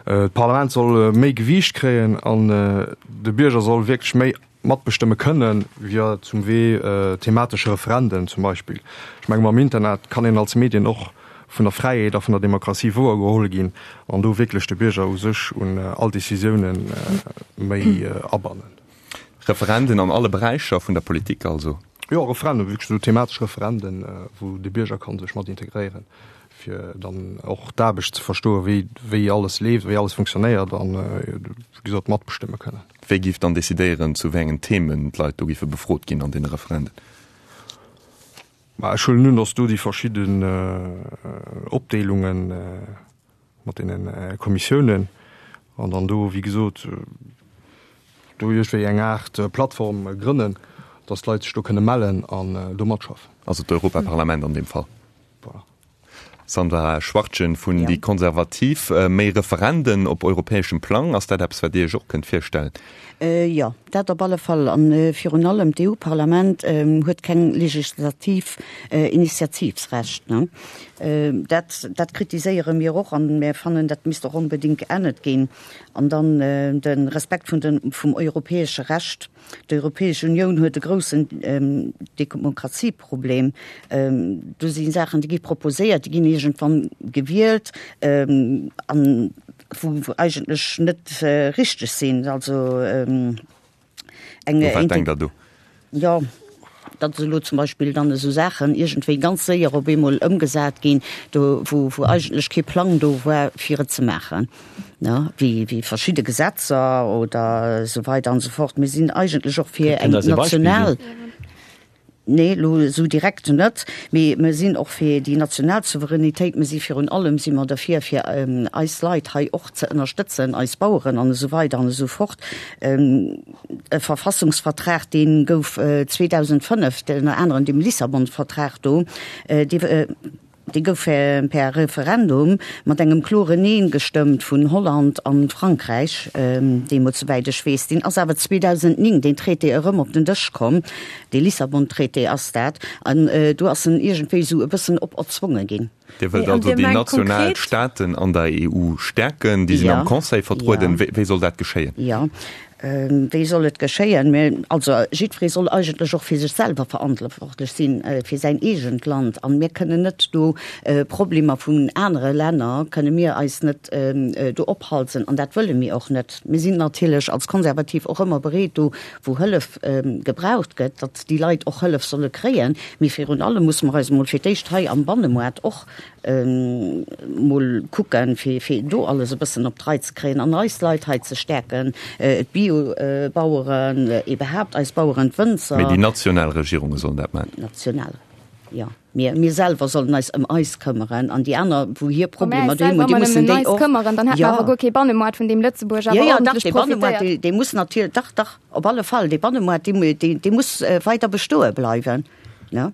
D'Parlament soll méi Gewiicht kréien an de Bierger soll wierklech méi matbestëmme kënnen, via zum Wee thematesche Referenden zum Beispill. Ech menge mam Internet kann een als Medien och vun der Fräiheet a vun der Demokratie wouergeholl ginn an do wierklech de Bierger u sech un all Décisioune méi abannen. Referenden an alle Beräicher vun der Politik also? Jo, Referenden, wierklech esou thematesch Referenden, wou de Bierger ka sech mat integréieren, fir dann och d'Aarbecht ze verstoen, wéi wéi alles leeft, wéi alles funktionéiert an, wéi gesot, matbestëmme kënnen. Wie géif dann decidéieren, zu wéi engen Themen d'Leit do géife befrot ginn an deene Referenden? Ma ech huelen un, datt do déi verschidden Opdeelungen mat deene Kommissiounen an dann do, wéi gesot, do iergendwéi eng Aart Plattform grënnen, datt d'Leit sech do kënne mellen an do matschaffen. Also d'Europaparlament an deem Fall. Voilà. Sandra Schwartjen vun Déi Konservativ, Méi Referenden op europäeschem Plang, ass dat eppes, wat Dir Iech och kënnt virstellen? Jo, dat op alle Fall. A virun allem d'E U-Parlament huet keng legislativ Initiativsrecht. Dat, dat kritiséiere mir och an mir fannen, dat misst och onbedéngt geännert ginn. An dann de Respekt vun den, vum europäesche Recht. D'Europäesch Unioun huet e groussen Demokratieproblem. Do si Saachen, déi gi proposéiert, déi ginn iergendwann gewielt an wou eigentlech net richteg sinn. Also eng. U wat denkt Der do? Jo, datt elo zum Beispill dann esou Saachen iergendwéi ganz séier op eemol ëmgesat ginn, do wou wou eigentlech kee Plang do war fir et ze maachen, ne, wéi wéi verschidde Gesetzer oder esou weider an esou fort. Mir sinn eigentlech och fir Kënnt eng Der eis e Beispill national. ginn? Nee, elo esou direkt net, mee mer sinn och fir déi national Souveränitéit. Mer si virun allem si mer derfir, fir eis Leit hei och ze ënnerstëtzen, eis Baueren an esou weider an esou fort. E Verfassungsvertrag, dee gouf zweedausendfënnef, ënner anerem deem Lissabon-Vertrag do, dee dee gouf per Referendum mat engem kloren Neen gestëmmt vun Holland an Frankräich, deemools, souwäit ech weess. Deen ass awer zweedausendnéng, deen Traité, erëm op den Dësch komm, dee Lissabon-Traité ass dat, an do ass en iergendwéi esou e bëssen operzwonge ginn. Dir wëllt also déi national Staaten an der E U stäerken, déi sinn am Conseil vertrueden. Wéi soll dat geschéien? Jo, Wéi soll et geschéien? Mä also jiddweree soll eigentlech och fir sech selwer verantwortlech sinn, fir säin eegent Land. An mir kënnen net do Problemer vun anere Länner kënne mir eis net do ophalsen. An dat wëlle mir och net. Mir sinn natierlech als Konservativ och ëmmer bereet, do wou Hëllef gebraucht gëtt, datt déi Leit och Hëllef solle kréien. Mee virun allem musse mer eis emol fir d'éischt hei am Bannemoart och mol kucken, fir fir do alles e bëssen op d'Rei ze kréien an eis Leit hei ze stäerken, d'Biobaueren, iwwerhaapt eis Baueren, d'Wënzer. Mee déi national Regierunge sollen dat maachen? National, jo. Mir, mir selwer sollen eis ëm eis këmmeren an déi aner, wou hir Wa mär Problemer eis doheem selwer hunn, déi ëmmer mussen nëmmen déi eis och, këmmeren, dann hätte mer jo. awer guer kee Bannemoart, vun deem Lëtzebuerg Jo, awer jo, dach, ordentlech dee Bannemoart, profitéiert. dee, dee muss natierlech, dach, dach, op alle Fall, dee Bannemoart, dee, dee, dee muss weider bestoe bleiwen, ne?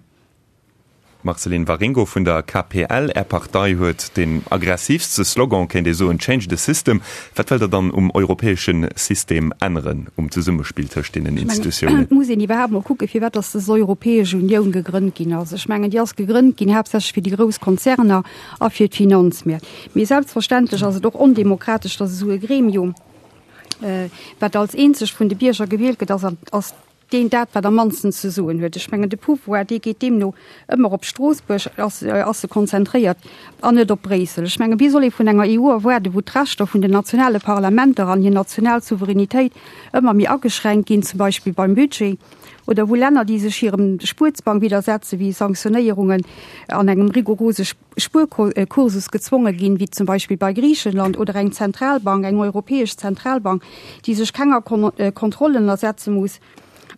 Marceline Waringo vun der K P L, Är Partei huet deen aggressiivste Slogan, kéint ee soen, Change the system. Wat wëllt Der dann um europäesche System änneren, um Zesummespill tëscht deenen Ech mengen, Institutiounen? et muss een iwwerhaapt mol kucken, firwat dass dës Europäesch Unioun gegrënnt ginn ass. Ech mengen, déi ass gegrënnt ginn haaptsächlech fir déi grouss Konzerner a fir d'Finanzmäert. Mee selbstverständlech ass et och ondemokratesch, dass esou e Gremium, wat als eenzegt vun de Bierger gewielt gëtt, ass, ass deen dat, wat am mannsten ze soen huet. Ech mengen, de Pouvoir, dee geet deemno ëmmer op Stroossbuerg, ass, ass e konzentréiert, an net op Bréissel. Ech mengen, wéi soll ee vun enger E U erwaarden, wou d'Rechter vun den nationale Parlamenter an hir national Souveränitéit ëmmer méi ageschränkt ginn, zum Beispill beim Budget, oder wou Länner, déi sech hirem Spuerzwang widdersetzen, wéi Sanktionéierungen an engem rigorose Spuerkursus gezwonge ginn, wéi zum Beispill bei Griichenland, oder eng Zentralbank, eng europäesch Zentralbank, déi sech kenger Kontroll ënnersetze muss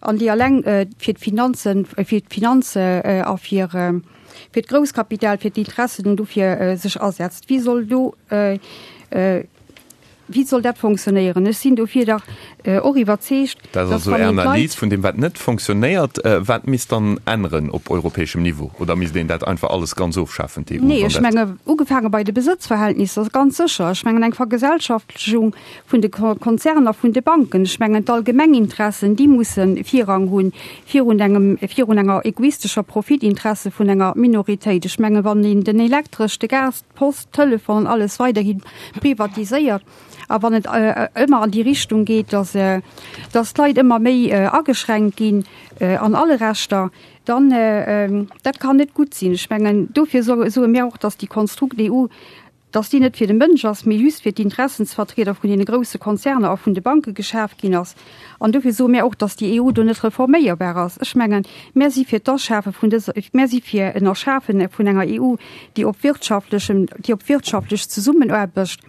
an déi alleng fir d'Finanzen, fir d'Finanze a fir fir d'Grousskapital, fir d'Interessen dofir sech asetzt. Wéi soll do, wéi soll dat fonctionnéieren? Ech sinn dofir dach och iwwerzeegt, Dat ass dass also wann Är een d'Leit. Analys vun deem, wat net fonctionnéiert. Wat misst dann änneren op europäeschem Niveau? Oder misst een dat einfach alles ganz ofschafen, d'E U, Nee, wann ech dat. menge ugefaange bei de Besëtzverhältnisser, ganz sécher. Ech mengen eng Vergesellschaftlechung vun de Konzerner, vun de Banken. Ech mengen d'Allgemenginteressen, déi musse Virrang hunn virun engem, virun enger egoistescher Profitinteresse vun enger Minoritéit. Ech menge wann een den Elektresch, de Gas, d'Post, d'Telefon an alles weiderhi privatiséiert a wann et ëmmer an déi Richtung geet, dass, dass d'Leit ëmmer méi ageschränkt ginn an alle Rechter, dann, dat kann net gutt sinn. Ech mengen, dofir soe mir och, dass déi Konstrukt E U, dass déi net fir de Mënsch ass, mee just fir d'Interessensvertrieder vun deene grouse Konzerner a vun de Banke geschaf ginn ass. An dofir soe mir och, dass déi E U do net reforméierbar ass. Ech mengen, mir si fir d'Asschafe vun dëser, mir si fir en Erschafe vun enger E U, déi op wirtschaftlechem, déi op wirtschaftlech Zesummenaarbecht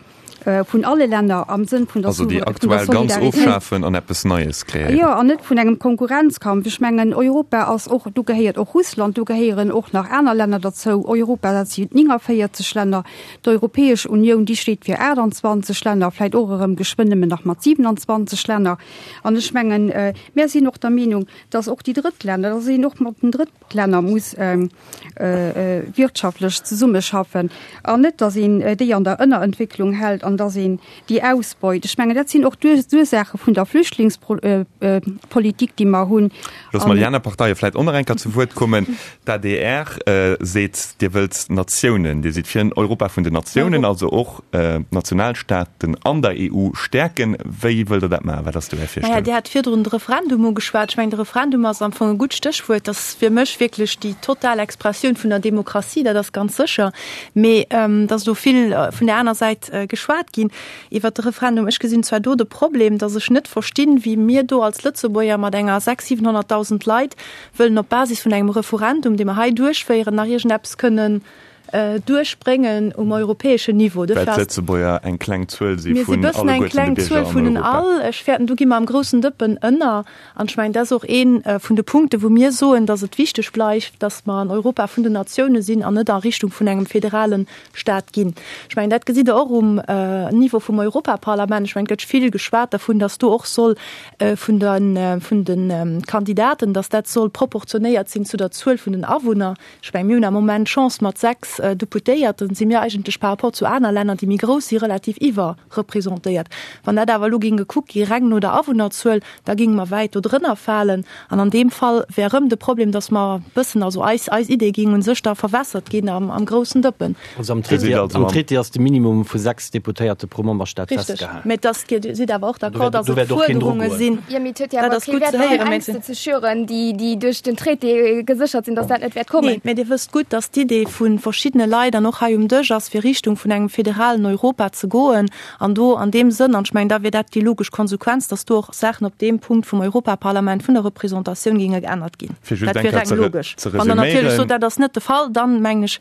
vun alle Länner am Sënn vun der Also déi aktuell ganz ofschafen an eppes Neies kreéieren. Jo, an net vun engem Konkurrenzkampf. Ech mengen, Europa ass och, do gehéiert och Russland, do gehéieren och nach aner Länner derzou. Europa, dat sinn néngavéierzeg Länner. D'Europäesch Unioun, déi steet fir aachtanzwanzeg Länner, vläicht och erëm geschwënn nëmmen nach mat siewenanzwanzeg Länner. An ech mengen, mir sinn och der Meenung, dass och déi Drëttlänner, dass een och mat den Drëttlänner muss wirtschaftlech zesummeschaffen an net, dass een déi an der Ënnerentwécklung hält an dass een déi ausbeut. Ech mengen, dat sinn och d'Ursaache vun der Flüchtlingspolitik, déi mer hunn. Loosse mer déi aner Parteie vläicht och nach eng Kéier zu Wuert kommen. D'A D R seet, Dir wëllt Natiounen, Dir sidd fir en Europa vun den Natiounen, also och d'Nationalstaaten an der E U stäerken. Wéi wëllt Der dat maachen? Wat ass do Är Naja, Virstellung? Dir hat virdrun de Referendum ugeschwat. Ech mengen, de Referendum ass am Fong e gutt Stéchwuert. Dat ass fir mech wierklech déi total Expressioun vun der Demokratie, dat ass ganz sécher. Mee et ass do vill vun där aner Säit geschwat ginn iwwert de Referendum. Ech gesinn zwar do de Problem, datt ech net verstinn, wéi mir do als Lëtzebuerger mat enger sechs-, siwenhonnertdausend Leit wëllen op Basis vun engem Referendum, dee mer hei duerchféieren, nach iergendeppes kënnen duerchbréngen um europäeschen Niveau. Well d'Lëtzebuerger eng kleng Zuel si Mir si vun bëssen eng alleguerten de kleng Bierger Zuel an vun den Europa. all. Ech fäerten, do gi mer am groussen Dëppen ënner. An ech mengen, dat ass och ee vun de Punkten, wou mir soen, datt et wichteg bleift, datt mer an Europa vun den Natioune sinn an net a Richtung vun engem federale Staat ginn. Ech mengen, dat gesitt Der och um Niveau vum Europaparlament. Ech mengen, et gëtt vill geschwat dervun, datt do och soll vun den, vun de Kandidaten, datt dat soll proportionéiert sinn zu der Zuel vun den Awunner. Ech mengen, mir hunn am Moment d'Chance mat sechs sechs Deputéierten si mir eigentlech par rapport zu aner Länner, déi méi grouss si, relativ iwwerrepresentéiert. Wann dat awer elo géing gekuckt gi reng no der Awunnerzuel, da géinge mer wäit do drënner falen. An an deem Fall wär erëm de Problem, dass mer e bëssen, also eis, eis Idee géing u sech da verwässert ginn am, am groussen Dëppen. Also am Traité, am Traité ass de Minimum vu sechs Deputéierte pro Memberstaat festgehalen. Richtig, mä dass, Dir sidd awer och d'accord, dass et Fuerderunge sinn. Jo, mee et huet jo awer kee Wäert, fir Ängste ze schüren, déi, déi duerch den Traité geséchert sinn, dass dat net wäert kommen. Nee, mä Dir wësst gutt, dass d'Idee vu verschiddene Leit an och hei um Dësch ass, fir Richtung vun engem federalen Europa ze goen an do an deem Sënn, an ech mengen, da wier dat déi logesch Konsequenz, dass do och Saachen op deem Punkt vum Europaparlament, vun der Représentatioun géinge geännert ginn. Fir just Dat eng wier Kéier reng ze logesch. Wann Der natierlech resüméieren. sot, dat ass net de Fall, dann, mengen ech,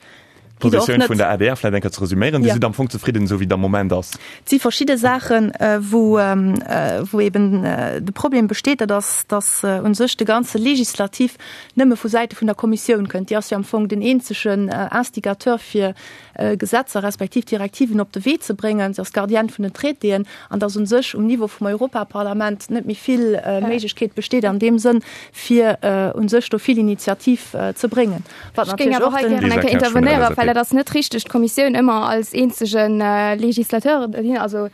gitt Der och D'Positioun net. vun der adr vläicht eng Kéier ze resüméieren. Dir Ja. sidd am Fong zefridden, esou wéi et am Moment ass. Et si verschidde Saachen, wou, wou eben de Problem besteet, dat ass, dass u sech de ganze Legislativ nëmme vu Säite vun der Kommissioun kënnt. Déi ass jo am Fong den eenzegen Instigateur, fir Gesetzer respektiv Direktiven op de Wee ze bréngen. Si ass d'Gardienne vun den Traitéen an dass u sech um Niveau vum Europaparlament net méi vill Méiglechkeet besteet an deem Sënn, fir u sech do vill Initiativ ze bréngen. Wat Ech géing natierlech awer och hei den. gären eng Lisa Kéier Kersch vun der intervenéieren, LSAP. well et ass net richteg, d'Kommissioun ëmmer als eenzege Legislateur, also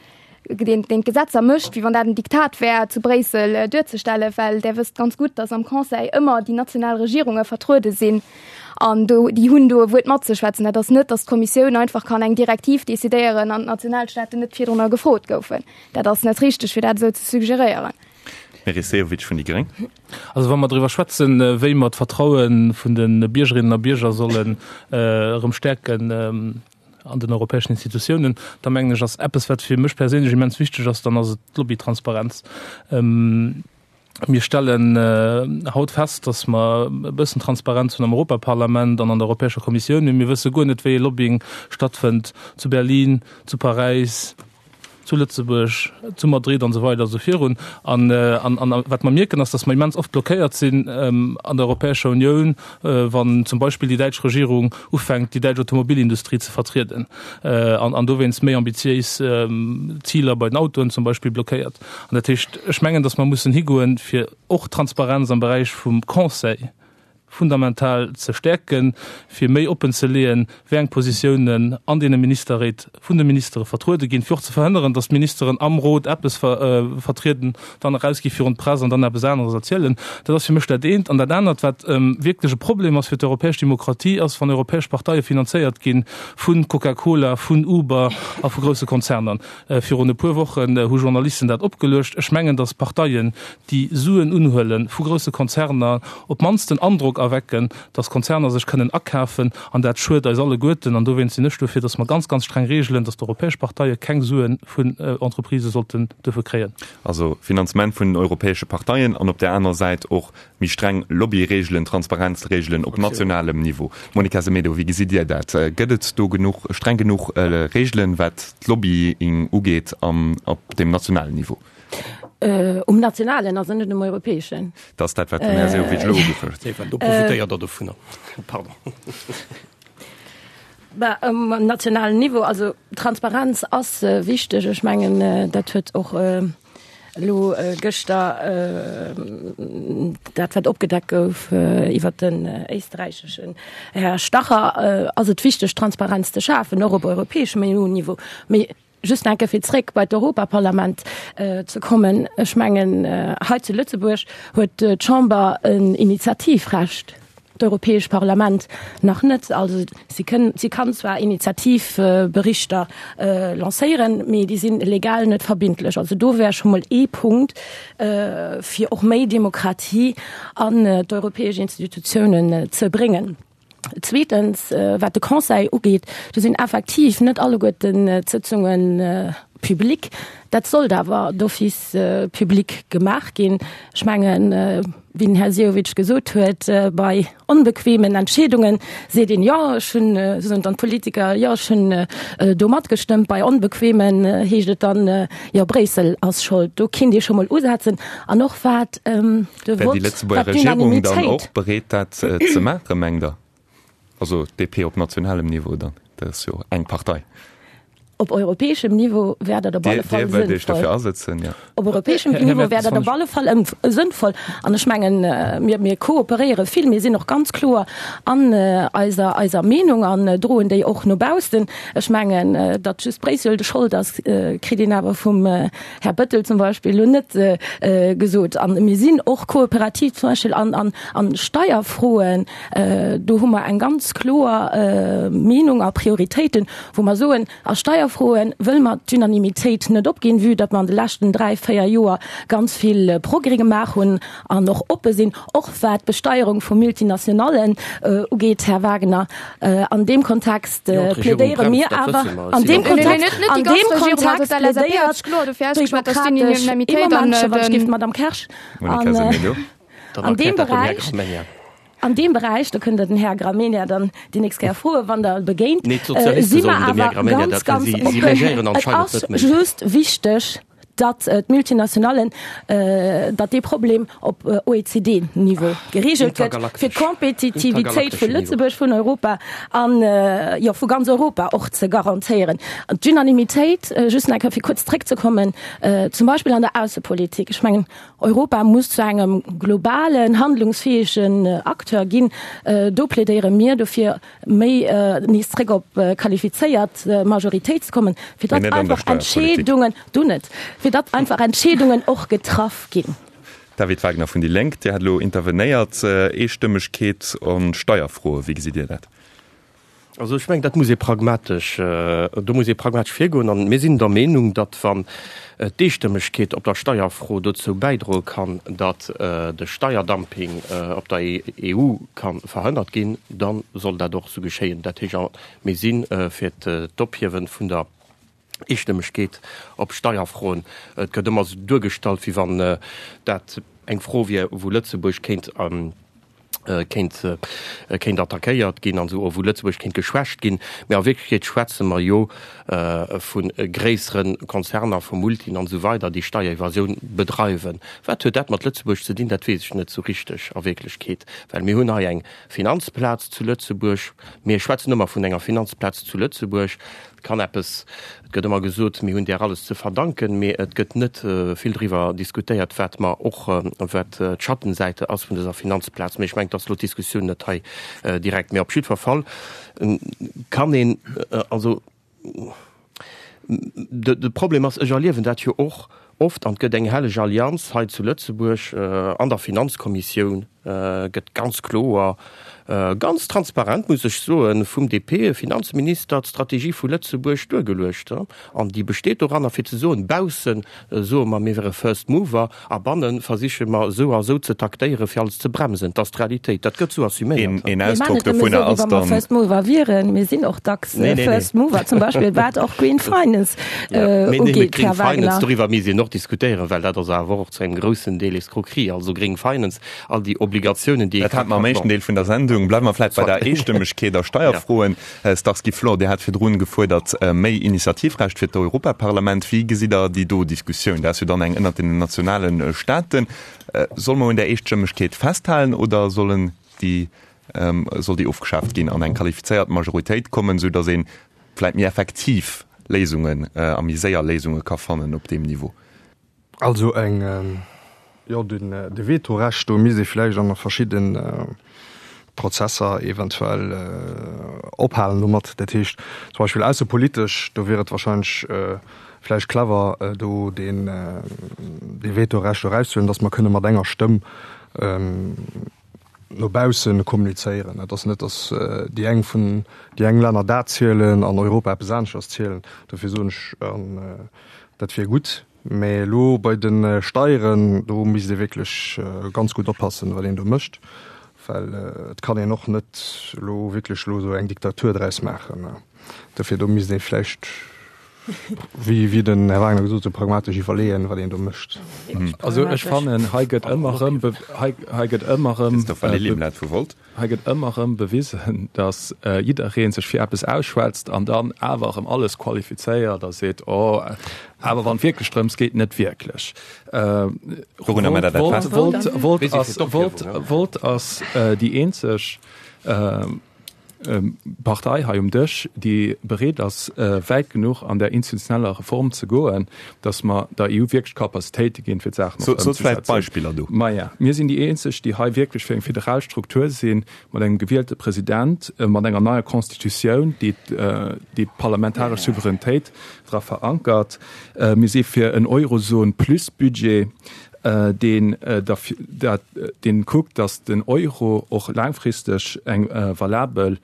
deen, deen d'Gesetzer mécht, wéi wann dat en Diktat wär, zu Bréissel duerzestellen, well Der wësst ganz gutt, dass am Conseil ëmmer déi national Regierunge vertruede sinn an do, déi hunn do e Wuert matzeschwätzen. Dat ass net, dass d'Kommissioun einfach kann eng Direktiv decidéieren an d'Nationalstaaten net virdrunner gefrot goufen. Dat ass net richteg, fir dat esou ze suggeréieren. Meris Sehovic vun déi gréng. Also wa mer driwwer schwätzen, wéi mer d'Vertraue vun de Biergerinnen a Bierger sollen erëm stäerken an den europäeschen Institutiounen, da mengen ech, ass eppes, wat fir mech perséinlech immens wichteg ass, dann ass et d'Lobbytransparenz. Mir stellen haut fest, dass mer e bëssen Transparenz hunn am Europaparlament an an der Europäescher Kommissioun, mee mir wësse guer net, wéi ee Lobbying stattfënnt zu Berlin, zu Paräis, zu Lëtzebuerg, zu Madrid an esou weider a sou virun. An, an, an wat mer mierken, ass, dass mer immens oft blockéiert sinn an der Europäescher Unioun, wann zum Beispill déi däitsch Regierung ufänkt, déi däitsch Automobilindustrie ze vertrieden an, an dowéinst méi ambitiéis Ziler bei den Autoen zum Beispill blockéiert. An dat heescht, ech mengen, dass mer mussen higoen, fir och Transparenz am Beräich vum Conseil fundamental ze stäerken, fir méi oppen ze leeën, wéi eng Positiounen an deene Ministerréit vun de Ministere vertruede ginn, fir och ze verhënneren, datt d'Ministeren am Rot eppes vertrieden, dann erausgi virun d'Press an dann eppes aneres erzielen. Dat ass fir mech dat eent. An dat anert, wat wierklech e Problem ass fir d'europäesch Demokratie, ass, wann europäesch Parteie finanzéiert gi vu Coca-Cola, vun Uber a vu grousse Konzerner. Virun e puer Wochen hu Journalisten dat opgeluecht. Ech mengen, datt Parteien, déi Suen unhuele vu grousse Konzerner, op d'mannst den Androck erwecken, dass Konzerner sech kënnen akafen, an dat schued eis alleguerten. An dowéinst sinn ech dofir, dass mer ganz, ganz streng reegelen, dass d'europäesch Parteie keng Sue vun Entreprisë sollten duerfe kréien. Also Finanzement vun den europäesche Parteien an op där aner Säit och méi streng Lobbyreegelen, Transparenzreegelen op nationalem Niveau. Monica Semedo, wéi gesitt Dir dat? Gëtt et do genuch, streng genuch Reegelen, wat d'Lobbying ugeet op deem nationalen Niveau? Um nationalen, also net um europäeschen. Dat ass dat, wat den Här Sehovic elo ugefouert huet. Do profitéiert Der dovunner. Pardon. Bah, um nationalen Niveau, also Transparenz ass wichteg. Ech mengen, dat huet och elo gëschter dat, wat opgedeckt gouf iwwert den éisträicheschen Här Strache, ass et wichteg, Transparenz ze schafen, och op europäeschem EU-Niveau. Mee Just nach eng Kéier fir zréck bei d'Europaparlament ze kommen, Ech mengen, hei zu Lëtzebuerg huet d'Chamber en Initiativrecht, d'Europäesch Parlament nach net. Also si kënn, si kann zwar Initiativberichter lancéieren, mee déi si legal net verbindlech. Also do wär scho mol ee Punkt, fir och méi Demokratie an d'europäesch Institutiounen ze bréngen. Zweetens, wat de Conseil ugeet, do sinn effektiv net alleguerten d'Sëtzunge public. Dat sollt awer d'office public gemaach ginn. Ech mengen, wéi den Här Sehovic gesot huet, bei onbequemen Entscheedunge seet een, jo, ech hunn, soen dann d'Politiker, jo, ech hunn do matgestëmmt. Bei onbequemen heescht et dann, jo, Bréissel ass schold. Do kinnt ee scho mol usetzen. An och wat de Wär déi Vott, Lëtzebuerger wat Regierung dann d'Unanimitéit. och bereet, dat ze maachen, mengt Der? Also d'DP op nationalem Niveau dann, dat ass jo eng Partei. Op europäeschem Niveau wär dat op alle Fall Dir wëllt Iech sënnvoll. dofir asetzen, jo. Op europäeschem Här Niveau Mertens, wär dat wann op ech. alle Fall ëmf sënnvoll. An ech mengen, mir, mir kooperéiere vill, mir sinn och ganz kloer an eiser, eiser Meenung an droen déi och no baussen. Ech mengen, datt just Bréissel de Schold ass, kritt een awer vum Här Bettel zum Beispill elo net gesot. An mir sinn och kooperativ zum Beispill an, an, an Steierfroen. Do hu mer eng ganz kloer Meenung a Prioritéiten, wou mer soen, A Steierfroe wëlle mer d'Unanimitéit net opginn, vue datt mer an de leschten dräi, véier Joer ganz vill Progrès gemaach hunn an och oppe sinn, och wat d'Besteierung vu Multinationallen ugeet, Här Wagner. An deem Kontext plädéiere mir awer, an deem Kontext, an deem Kontext plädéiert d'Demokratesch, ee Momentche, wann ech géif, d'Madame Kersch, an deem Beräich, An deem Beräich, do kënnt Der den Här Gramegna dann déi nächst Kéier froen, wann Der e begéint, si mer awer ganz, ganz oppen. Et ass just wichteg, datt d'Multinationallen, datt dee Problem op OECD-Niveau geregelt gëtt, fir d'Kompetitivitéit vu Lëtzebuerg, vun Europa an, jo, vu ganz Europa och ze garantéieren. An d'Unanimitéit, just nach eng Kéier fir kuerz zréckzekommen, zum Beispill an der Aussepolitik, ech mengen, Europa muss zu engem globalen, handlungsfäegen Acteur ginn. Do plädéiere mir dofir, méi nees zréck op qualifizéiert Majoritéit ze kommen, fir Mee datt net an der einfach Steierpolitik. Entscheedungen, do net, fir datt einfach Entscheedungen och getraff ginn. David Wagner vun déi Lénk, Dir hat elo intervenéiert. Eestëmmegkeet an Steierfroe, wéi gesitt Dir dat? Also ech mengen, dat muss ee pragmatesch, do muss ee pragmatesch virgoen. An mir sinn der Meenung, datt wann d'Eestëmmegkeet op der Steierfro dozou bäidroe kann, datt de Steierdumping op der E U ka verhënnert ginn, da soll dat och esou geschéien. Dat heescht, mir si fir d'Ophiewe vun der Eestëmmegkeet op Steierfroen. Et gëtt ëmmer esou duergestallt, wéi wann dat eng Fro wier, wou Lëtzebuerg kéint kéint kéint attackéiert ginn an esou, wou Lëtzebuerg kéint geschwächt ginn. Mä a Wierklechkeet schwätze mer jo vu gréissere Konzerner, vu Multien an esou weider, déi Steierevasioun bedreiwen. Wat huet dat mat Lëtzebuerg ze dinn? Dat weess ech net esou richteg a Wierklechkeet, well mir hunn hei eng Finanzplaz zu Lëtzebuerg. Mir schwätzen ëmmer vun enger Finanzplaz zu Lëtzebuerg. Et kann eppes, et gëtt ëmmer gesot, mir hunn där alles ze verdanken, mee et gëtt net vill driwwer diskutéiert, wat mer och, wat d'Schattenseite ass vun dëser Finanzplaz. Mee ech mengen, et ass elo d'Diskussioun net hei direkt. Mee op jiddwer Fall kann een, also de Problem ass, ech erliewen dat jo och oft, an et gëtt eng helleg Allianz hei zu Lëtzebuerg an der Finanzkommissioun, gëtt ganz kloer, ganz transparent, muss ech soen, vum D P-Finanzminister d'Strategie vu Lëtzebuerg duergeluecht. An déi besteet doranner, fir ze soen, bausse soe mer, mir wäre First Mover, a banne versiche mer esou a esou ze taktéieren, fir alles ze bremsen. Dat ass d'Realitéit. Dat gëtt esou assuméiert. Een Mir maachen Ausdrock et nëmme dovunner esou, wéi ass wa mer dann. First Mover wieren. Mir sinn och dacks Nee, nee, nee. First Mover, zum Beispill wat och Green Finance Ja, mee nee, mee ugeet, Green Här Finance, Wagner. doriwwer misst een och diskutéieren, well dat ass awer och zu engem groussen Deel Escroquerie. Also Green Finance, all déi Obligatiounen, déi ee Dat ka hate mer am éischten bon. Deel vun der Sendung. Bleiwe mer vläicht bei Soit. der Eestëmmegkeet a Steierfroen. Här Starsky Flor, Dir hat virdrun gefuerdert, méi Initiativrecht fir d'Europaparlament. Wéi gesitt Der déi do Diskussioun? Dat ass jo dann eng ënnert den nationale Staaten. Solle mer un där Eestëmmegkeet festhalen oder sollen déi, soll déi ofgeschaaft ginn an eng qualifizéiert Majoritéit kommen, esou datt ee vläicht méi effektiv Léisungen a méi séier Léisunge ka fannen op deem Niveau? Also eng, jo, den, de Vetorecht, do misst ee vläicht an verschidde Prozesser eventuell ophalen domat. Dat heescht zum Beispill aussepolitesch, do wier et wahrscheinlech vläicht clever, do deen, dee Vetorecht erauszehuelen, datt mer kënne mat enger Stëmm no bausse kommunizéieren. Et ass net, datt déi eng vun, déi eng Länner dat zielen an Europa eppes aneschters zielen. Dofir soen ech, dat wier gutt. Mä elo bei de Steieren, do misst ee wierklech ganz gutt oppassen, wat een do mécht, well et kann een och net elo wierklech elo esou eng Diktatur draus maachen. Dofir do misst ee vläicht, wéi wéi den Här Wagner gesot huet, pragmatesch iwwerleeën, wat een do mécht. Also ech fannen, hei gëtt ëmmer erëm, hei, hei gëtt ëmmer erëm, Christopher Lillieblatt vu Volt. hei gëtt ëmmer erëm bewisen, datt jidderee sech fir eppes ausschwätzt an dann awer erëm alles qualifizéiert a seet, oh, awer wann et wierklech drëms geet, net wierklech. Wourunner mécht Der dat Volt, fest? Volt, Volt Mir si fir ass, d'Ophierbung, Volt, ne? Volt ass déi eenzeg, Partei hei um Dësch, déi bereet ass, wäit genuch an där institutioneller Reform ze goen, datt mer der E U wierklech d'Capacitéite ginn, fir d'Saachen och Sot vläicht ëmzesetzen. Beispiller do. Maja, mir sinn déi eenzeg, déi hei wierklech fir eng federal Struktur sinn, mat engem gewielte President, mat enger neier Constitutioun, déi déi d'parlamentaresch Souveränitéit dra verankert. Mir si fir en Eurozon-plus-Budget, deen deen kuckt, datt den Euro och laangfristeg eng valabel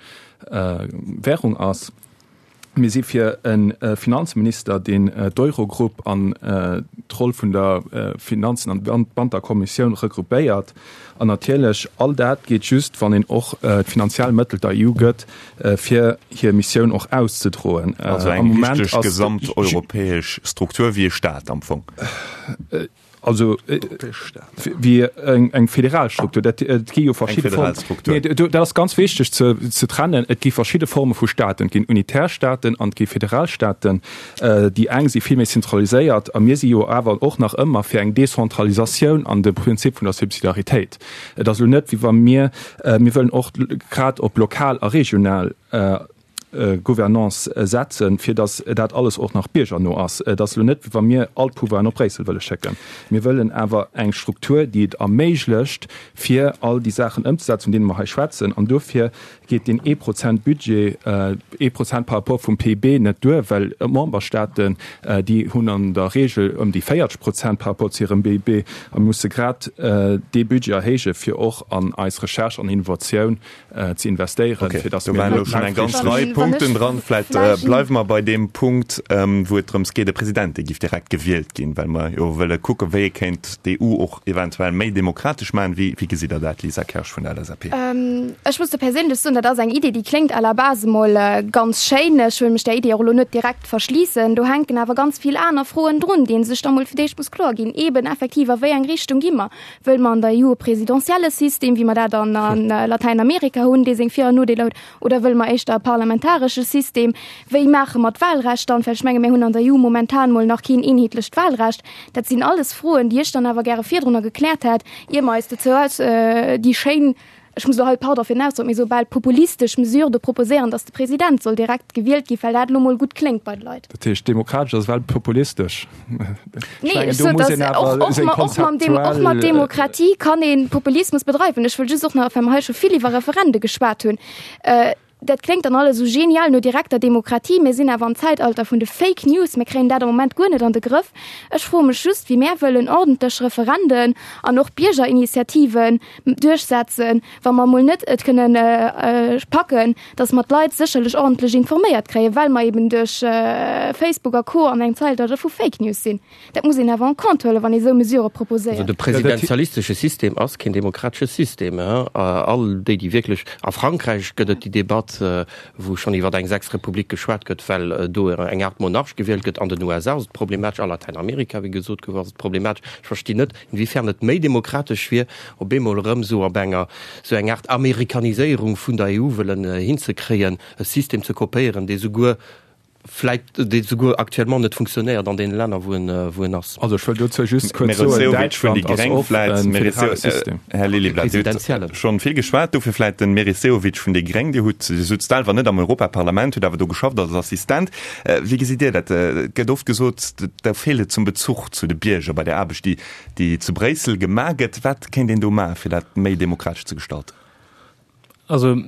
Währung ass. Mir si fir e Finanzminister, deen d'Eurogrupp an d'Roll vun der Finanzen an Banterkommissioun regroupéiert. An natierlech, all dat geet just, wann een och d'finanziell Mëttel der E U gëtt, fir hir Missioun och auszedroen. Also eng richteg gesamteuropäesch Struktur wéi e Staat am Fong. Also wéi eng federal Struktur. Dat, et gi jo verschidde Formen. Nee, dat ass ganz wichteg ze, ze trennen. Et gi verschidde Forme vu Staaten. Et ginn unitär Staaten an et gi federal Staaten. Déi eng si vill méi zentraliséiert a mir si jo awer och nach ëmmer fir eng Dezentralisatioun an de Prinzip vun der Subsidiaritéit. Et ass elo net, wéi wa mir, mir wëllen och grad op lokal a regional Gouvernance setzen, fir datt dat alles och nach biergerno ass. Et ass elo net, wéi wa mir all d'Pouvoiren op Bréissel wëlle schécken. Mir wëllen awer eng Struktur, déi et erméiglecht, fir all déi Saachen ëmzesetzen, vun deene mer hei schwätzen. An dofir geet deen ee Prozent Budget, ee Prozent par rapport vum P I B net duer, well d'Memberstaaten, déi hunn an der Regel ëm déi véierzeg Prozent par rapport zu hirem B I B a musse grad dee Budget erhéijen, fir och an eis Recherche an Innovatioun ze investéieren, Okay, fir dass do mir waren elo schonn eng ganz Rei Punkten dran. Vläicht bleiwe mer bei deem Punkt, wou et drëms geet, e President, dee giff direkt gewielt ginn, well mer jo wëlle kucken, wéi ee kéint d'E U och eventuell méi demokratesch maachen. Wéi, wéi gesitt Der dat, Lisa Kersch vun der L S A P? Ech muss do perséinlech soen, dat ass eng Idee, déi kléngt à la base emol ganz schéin. Ech wëll mech där Idee och elo net direkt verschliessen. Do hänken awer ganz vill aner Froen drun, déi ee sech da mol fir d'éischt muss kloer ginn, eben effektiv, a wéi eng Richtung gi mer? Wëlle mer an der E U e presidentielle System, wéi mer dat an Latäinamerika hunn, dee seng Vir an Nodeeler huet, oder wëlle mer éischter e parlamentaresche System? Wéi maache mer d'Wahlrecht dann? Well ech menge mir hunn an der E U momentan mol nach keen eenheetlecht Wahlrecht. Dat sinn alles Froen, déi ech dann awer gäre virdrunner gekläert hätt, ier mer eis dozou aus déi schéin, ech muss elo hei, pardon fir den Ausdrock, mee esou bal populistesch Mesure do proposéieren, dass de President soll direkt gewielt ginn, well dat elo mol gutt kléngt bei de Leit. Dat heescht, demokratesch ass ewell populistesch? Nee, ech sot, dass och, och, och, mam Dem, och mat Demokratie kann ee Populismus bedreiwen. Ech wëll just och nach, well mer hei scho vill iwwer Referende geschwat hunn, dat kléngt dann alles esou genial no direkter Demokratie, mir sinn awer am Zäitalter vun de Fake News, mir kréien dat am Moment guer net an de Grëff. Ech froe mech just, wéi mär wëllen ordentlech Referenden an och Biergerinitiativen duerchsetzen, wa mer emol net et kënnen packen, datt mer d'Leit sécherlech ordentlech informéiert kréien, well mer eben duerch Facebook a Co. An engem Zäitalter vu Fake News sinn. Dat muss een awer en compte huelen, wann ee sou Mesurë proposéiert. Also de presidentialistesche System ass keen demokratesche System. All déi, déi wierklech, a Frankräich gëtt et déi Debatt, wou schonn iwwer eng sechs Republik geschwat gëtt, well do eng Aart Monarch gewielt gëtt. An den U S A ass et problematesch, a Latäinamerika, wéi gesot gouf, ass et problematesch. Ech verstinn net, inwiefern et méi demokratesch wier, op eemol erëm esou op enger, esou eng Aart Amerikaniséierung vun der E U wëllen hinzekréien, e System ze kopéieren, dee souguer vläit, dee souguer actuellement net funktionéiert an deene Länner, wou en, wou en ass. Also ech wëll dozou just kuerz Merit soen, Sehovic vun déi Däitschland ass Gréng och vläit. e Merit federale Seo, System. Här Lilliblad, Dir hutt Presidentiellen. schonn vill geschwat, dofir vläit den Meris Sehovic vun déi Gréng. Dir hutt, Dir sutzt selwer net am Europaparlament, hutt awer do geschafft als Assistent. Wéi gesitt Dir dat? Et gëtt oft gesot, do feelt et zum Bezuch zu de Bierger bei der Aarbecht, déi, déi zu Bréissel gemaach gëtt. Wat kéint een do maachen, fir dat méi demokratesch ze gestalten? Also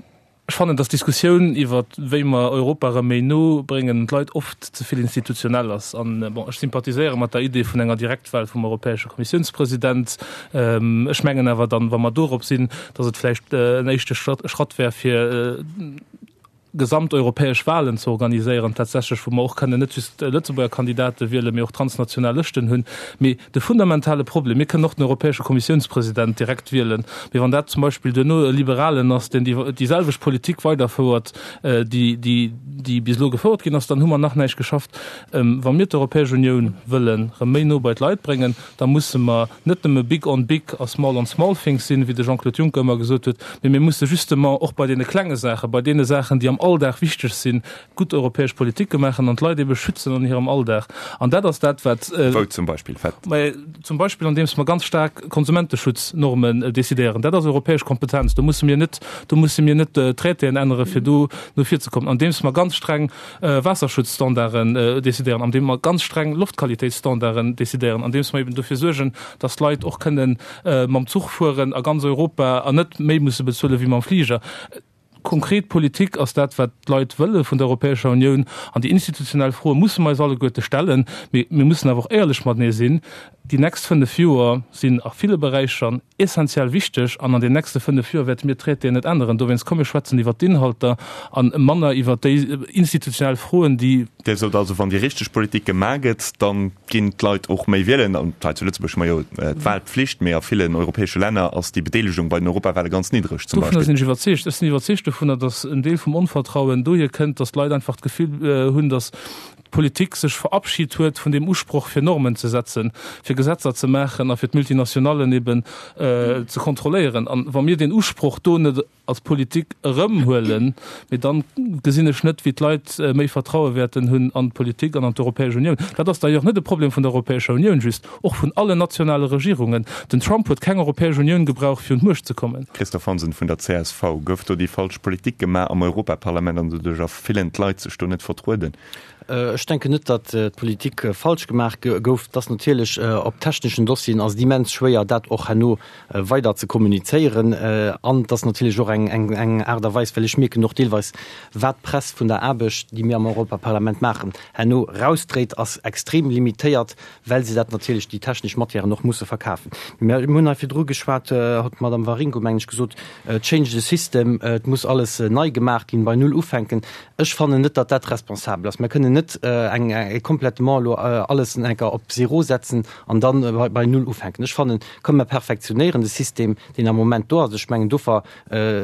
ech fannen, dass d'Diskussioun iwwer wéi mer Europa erëm méi no bréngen d'Leit oft ze vill institutionell ass. An bon, ech sympathiséiere mat der Idee vun enger Direktwahl vum europäesche Kommissiounspresident. Ech mengen awer dann, wa mer dorop sinn, dass et vläicht en éischte Schratt wär, fir gesamteuropäesch Wahlen ze organiséieren, tatsächlech, wou mer och kënnen net just Lëtzebuerger Kandidate wielen, mee och transnational Lëschten hunn. Mee de fundamentale Problem, mir kënnen och den europäesche Kommissiounspresident direkt wielen, mee wann dat zum Beispill duerno e Liberalen ass, deen déi, déi selwecht Politik weiderfouert, déi, déi, déi bis elo gefouert ginn ass, dann hu mer nach näischt geschafft. Wa mir d'Europäesch Unioun wëllen erëm méi no bei d'Leit bréngen, da musse mer net nëmme big on big a small on small things sinn, wéi de Jean-Claude Juncker ëmmer gesot huet, mee mir musse justement och bei deene klenge Saachen, bei deene Saachen, déi am Alldag wichteg sinn, gutt europäesch Politike maachen an d'Leit ebe schützen an hirem Alldag. An dat ass dat, wat. Wou zum Beispill? Wat? Mä zum Beispill andeems mer ganz staark Konsumenteschutznormen decidéieren. Dat ass europäesch Kompetenz. Do musse mir net, do musse mir net Traitéen ännere fir do no vir ze kommen. Andeems mer ganz streng Waasserschutzstandarden decidéieren, andeem mer ganz streng Loftqualitéitsstandarden decidéieren, andeems mer eben dofir suergen, dass d'Leit och kënnen mam Zuch fueren a ganz Europa an net méi musse bezuele wéi mam Fliger. Konkret Politik ass dat, wat d'Leit wëlle vun der Europäescher Unioun. An déi institutionell Froe musse mer eis alleguerte stellen. Mee mir mussen awer och éierlech matenee sinn, Déi nächst fënnef Joer sinn a ville Beräicher essenziell wichteg an an den nächste fënnef Joer wäerte mir d'Traitéen net änneren. Dowéinst, komm mir schwätzen iwwert d'Inhalter a manner iwwert déi institutionell Froen, déi. Dir sot also, wann déi richteg Politik gemaach gëtt, da ginn d'Leit och méi wielen. An hei zu Lëtzebuerg hu mer jo d'Wahlpflicht, mee a villen europäesche Länner ass déi Bedeelegung bei den Europawale ganz niddreg zum Dovunner Beispill. sinn ech iwwerzeegt. Ech sinn iwwerzeegt dovunner, datt en Deel vum Onvertrauen dohier kënnt, datt d'Leit einfach d'Gefill hunn, datt d'Politik sech verabschit huet vun deem Usproch, fir Normen ze setzen, fir Gesetzer ze maachen a fir d'Multinationallen eben ze kontrolléieren. An wa mir deen Usproch do net als Politik erëmhuelen, mee dann gesinn ech net, wéi d'Leit méi Vertraue wäerten hunn an d'Politik an an d'Europäesch Unioun. Dat ass d'ailleurs net e Problem vun der Europäescher Unioun just, och vun allen nationale Regierungen. Den Trump huet keng Europäesch Unioun gebraucht, fir un d'Muecht ze kommen. Christophe Hansen vun der csv, Gouf do déi falsch Politik gemaach am Europaparlament an doduercher fillen d'Leit sech do net vertrueden? Ech denken net, datt d'Politik falsch gemaach gouf. Et ass natierlech op techneschen Dossieren ass et immens schwéier, dat och herno weider ze kommunizéieren. An et ass natierlech och eng eng Aart a Weis, well ech mierken och deelweis, wat d'Press vun der Aarbecht, déi mir am Europaparlament maachen, herno erausdréit, ass extrem limitéiert, well se dat natierlech, déi technesch Matièren och musse verkafen. Mir hunn hei virdru geschwat, huet d'Madame Waringo, mengen ech, gesot, change the system, et muss alles nei gemaach ginn, bei Null ufänken. Ech fannen net, datt dat responsabel ass. Mir kënnen net eng complètement elo alles enker op Zéro setzen an dann bei Null ufänken. Ech fannen, komm mer perfektionéieren de System, deen am Moment do ass. Ech mengen, dofir,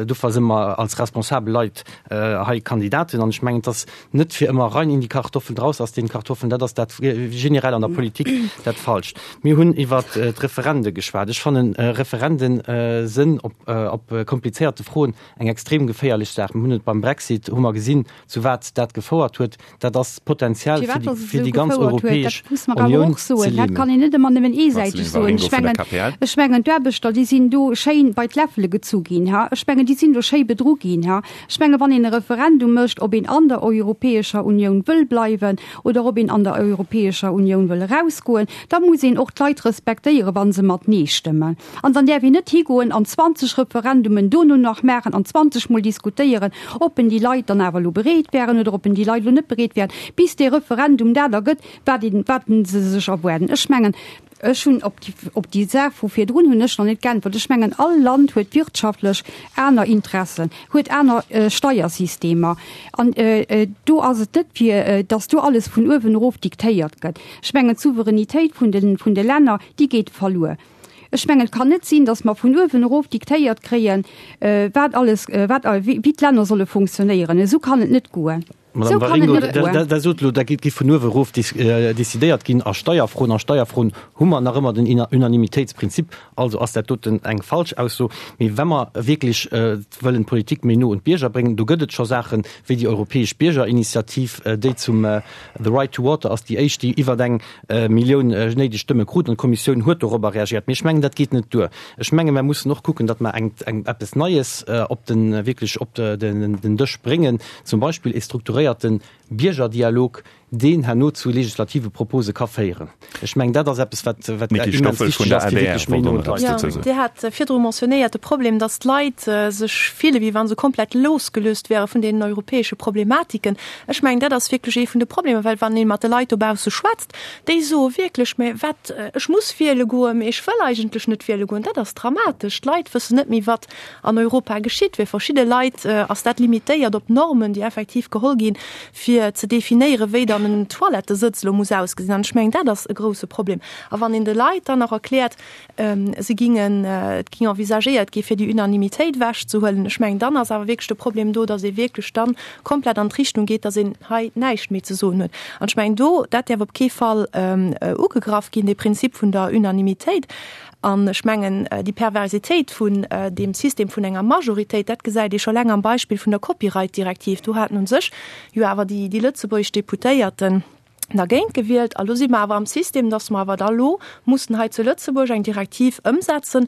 dofir si mer als responsabel Leit hei Kandidaten. An ech mengen, et ass net fir ëmmer rein in die Kartoffeln, raus aus den Kartoffeln. Dat ass dat generell an der Politik dat Falscht. Mir hunn iwwert d'Referende geschwat. Ech fannen, Referenden sinn op, op komplizéierte Froen eng extrem geféierlech Saach. Mir hunn et beim Brexit, hu mer gesinn, zu wat dat gefouert huet. Dat ass d'Potenzial fir déi, fir déi ganz Europäesch Unioun ze Dat lämen. kann een net ëmmer nëmmen eesäiteg Marceline soen. Waringo Ech vun der mengen, KPL. ech mengen, d'Aarbechter, déi sinn do schéin bei d'Läffele gezu ginn, ha. Ech mengen, déi sinn do schéi bedru ginn, ha. Ech mengen, wann een e Referendum mécht, ob een an der Europäescher Unioun wëll bleiwen oder ob een an der Europäescher Unioun wëll erausgoen, da muss een och d'Leit respektéieren, wa se mat Nee stëmmen. An dann däerf een net higoen an zwanzeg Referendumen dono nach maachen an zwanzeg Mol diskutéieren, ob en déi Leit dann awer elo bereet wären oder ob en déi Leit elo net bereet wären, bis dee Referendum dat ergëtt, wat een, wat se sech erwaarden. Ech mengen, ech hunn op déi, op déi Saach vu virdrun hunn ech nach net geäntwert. Ech mengen, all Land huet wirtschaftlech aner Interessen, huet aner Steiersystemer. An do ass et net fir, datt do alles vun uewen erof diktéiert gëtt. Ech mengen, d'Souveränitéit vun de, vun de Länner, déi geet verluer. Ech mengen, et kann net sinn, datt mer vun uewen erof diktéiert kréien, wat alles, wat, wéi d'Länner solle funktionéieren. Esou kann et net goen. Madame Esou kann et Waringo, net goen. Der sot elo, dat géif vun uewe erof decidéiert ginn a Steierfroen. A Steierfroen hu mer nach ëmmer den Unanimitéitsprinzip. Also ass dat doten eng falsch Ausso. Mee wa mer wierklech wëllen d'Politik méi no un d'Bierger bréngen, do gëtt et scho Saachen, wéi déi Europäesch Biergerinitiativ, déi zum The Right to Water ass déi éischt, déi iwwer eng Millioun néideg Stëmme krut. An d'Kommissioun huet dorobber reagiert. Mee ech mengen, dat geet net duer. Ech menge mer mussen och kucken, datt mer eng, eng, eppes Neies op den, wierklech op den, den Dësch bréngen, zum Beispill e strukturéierte Biergerdialog, deen herno zu legislative Propose ka féieren. Ech mengen, dat ass eppes, wat, wat D'Nickie immens Stoffel vun wichteg der ass, fir adr wierklech méi wollt no och un nach eppes d'Leit ze dozou kommen. soen. Dir hat virdru mentionnéiert de Problem, datt d'Leit sech fille wéi wa se komplett losgelöst wäre vun deenen europäesche Problematiken. Ech mengen, dat ass wierklech ee vun de Problemer, well wann ee mat de Leit dobausse schwätzt, déi soe wierklech, Mä wat, ech muss wiele goen, mä ech wëll eigentlech net wiele goen. Dat ass dramatesch. D'Leit wëssen net méi, wat an Europa geschitt. Fir verschidde Leit ass dat limitéiert op Normen, déi effektiv geholl ginn, fir fir ze definéieren, wéi dann en Toilettesëtz elo muss ausgesinn. An ech mengen, dat ass e grouse Problem. A wann een de Leit dann nach erkläert, se gingen, et ging envisagéiert gi fir déi Unanimitéit ewechzehuelen, ech mengen, dann ass awer wierklech de Problem do, datt ee wierklech dann komplett an d'Richtung geet, datt een hei näischt méi ze soen huet. An ech mengen do, dat däerf op kee Fall ugegraff ginn, dee Prinzip vun der Unanimitéit. An ech mengen, déi Perversitéit vun deem System vun enger Majoritéit, dat gesäit ee scho laang am Beispill vun der Copyright-Direktiv. Do haten u sech jo awer déi lëtzebuergesch Deputéierten dergéint gewielt. A lo si mer awer am System, dass mer awer da lo mussen hei zu Lëtzebuerg eng Direktiv ëmsetzen,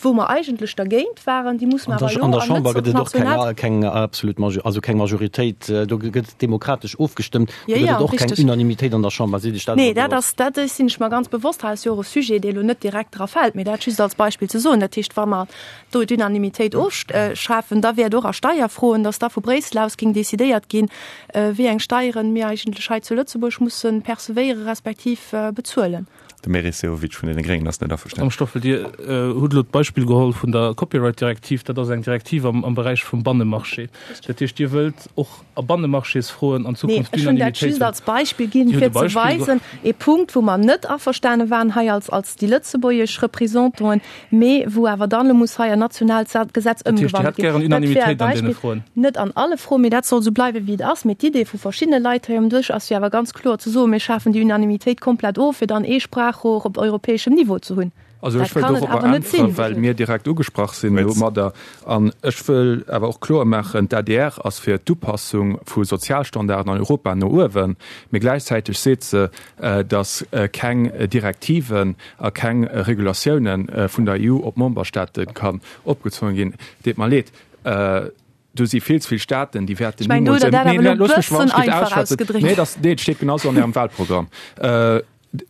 wou mer eigentlech dergéint waren. Déi musse mer awer elo An der Chamber gëtt et och national. keng absolut Majoritéit, also keng Majoritéit. Do gëtt demokratesch ofgestëmmt. Do Jo, gëtt jo, et och keng richteg. Unanimitéit an der Chamber. Sidd Iech dat Nee, awer dat bewosst? ass, dat sinn ech mer ganz bewosst. Hei ass jo och e Sujet, dee elo net direkt dra fält, mee dat just als Beispill ze soen. Dat heescht, wa mer do d'Unanimitéit ofschafen, da wäert och a Steierfroen, dass da vu Bréissel aus géing decidéiert ginn, wéi eng Steieren mir eigentlech hei zu Lëtzebuerg mussen percevéiere respektiv bezuelen. De Meris Sehovic vun deene Gréngen ass net averstanen. Madame Stoffel, Dir hutt elo d'Beispill geholl vun der Copyright-Direktiv. Dat ass eng Direktiv am Beräich vum Bannemarché. Dat heescht, Dir wëllt och a Bannemarchésfroen an Nee, Zukunft ech hunn dat d'Unanimitéit just hunn. als Beispill ginn, Dir hutt fir e ze Beispill weisen, e Punkt, wou mer net averstane waren hei als, als déi lëtzebuergesch Représentanten, mee wou awer dann elo muss hei an nationaalt Gesetz Dat heescht, Dir ëmgewandelt hätt ginn. gären Dat wär e Unanimitéit an deene Beispill, Froen? net an alle Froen, mee dat soll esou bleiwen, wéi et ass. Mee d'Idee vu verschiddene Leit hei um Dësch ass jo awer ganz kloer ze soen, mir schafen déi Unanimitéit komplett of, fir dann ee Sprachrohr op europäeschem Niveau ze hunn. Also ech Dat wëll kann et dorobber awer net äntweren, sinn. well mir direkt ugesprach sinn domadder. An ech wëll awer och kloer maachen, D'ADR ass fir d'Upassung vu Sozialstandarden an Europa no uewen, mee gläichzäiteg seet se, datt keng Direktiven a keng Regulatiounen vun der E U op d'Memberstaate kann opgezwongen ginn. Deet mer leed, do si vill ze vill Staaten, déi wäerten Ech mengen, do nimools hutt Der dat Nee, awer elo e looss mech bëssen wann ech einfach ausschwätzen. ausgedréckt. Nee, dat, nee, et steet genau esou an Ärem Wahlprogramm.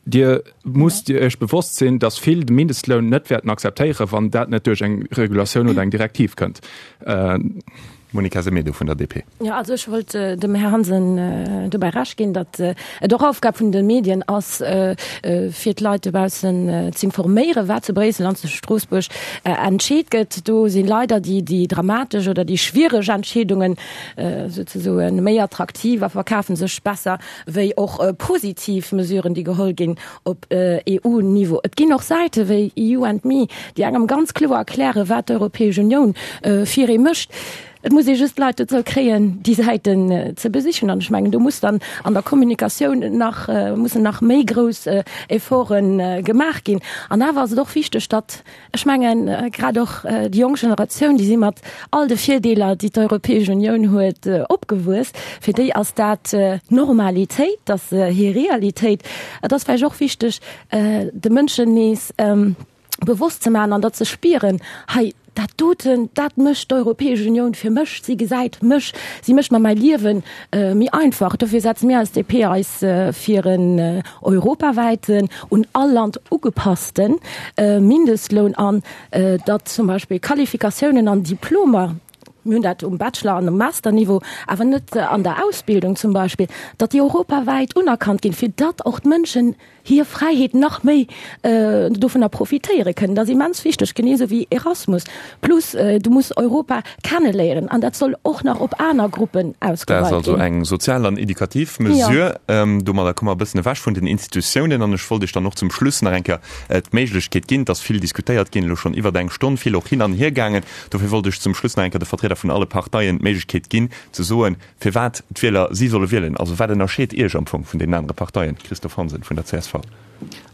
Dir musst Iech bewosst sinn, datt vill de Mindestloun net wäerten akzeptéieren, wann dat net duerch eng Regulatioun oder eng Direktiv kënnt. Monica Semedo vun der D P. Jo, also ech wollt dem Här Hansen dobäi Recht ginn, datt et och Aufgab vun de Medien ass, fir d'Leit dobaussen z'informéieren, wat zu Bréissel an zu Stroossbuerg entscheet gëtt. Do si leider déi dramatesch oder déi schwiereg Entscheedungen souzesoen méi attraktiv a verkafe sech besser wéi och positiv Mesuren, déi geholl ginn op E U-Niveau. Et ginn och Säite wéi E U and Me, déi engem ganz kloer erklären, wat d'Europäesch Unioun fir ee mécht. Et muss ee just d'Leit dozou kréien, déi Säiten ze besichen. An ech mengen, do muss dann an der Kommunikatioun nach, mussen nach méi grouss Efforte gemaach ginn. An awer ass et och wichteg, datt, ech mengen, grad och déi jonk Generatioun, déi si mat all de Virdeeler, déi d'Europäesch Unioun huet, opgewuess. Fir déi ass dat Normalitéit, dat ass hir Realitéit. Et ass vläicht och wichteg, de Mënschen nees bewosst ze maachen an dat ze spieren, hei, dat doten, dat mécht d'Europäesch Unioun fir mech, si gesäit mech, si mécht mer mäi Liewe méi einfach. Dofir setze mir als D P eis fir en europawäiten, un all Land ugepasste Mindestloun an, datt zum Beispill Qualifikatiounen an Diplomer, mir hunn dat um Bachelor an um Masterniveau, awer net an der Ausbildung zum Beispill, datt déi europawäit unerkannt ginn, fir datt och d'Mënschen hir Fräiheet nach méi dovunner profitéiere kënnen. Dat ass immens wichteg, genee esou wéi Erasmus plus. Du muss Europa kenneléieren an dat soll och nach op aner Gruppen Dat ass ausgeweit also ginn. eng sozial an edukativ Mesure. Domadder komme mer e bëssen ewech vun den Institutiounen an ech wollt Iech dann och zum Schluss nach eng Kéier d'Méiglechkeet ginn, et ass vill diskutéiert ginn, elo schonn iwwert eng Stonn, vill och hin an hier gaangen. Dofir wollt ech zum Schluss nach eng Kéier de Vertrieder vun alle Parteien d'Méiglechkeet ginn ze soen, firwat d'Wieler si solle wielen. Also wat ënnerscheet Iech am Fong vun deenen anere Parteien? Christophe Hansen vun der C S V.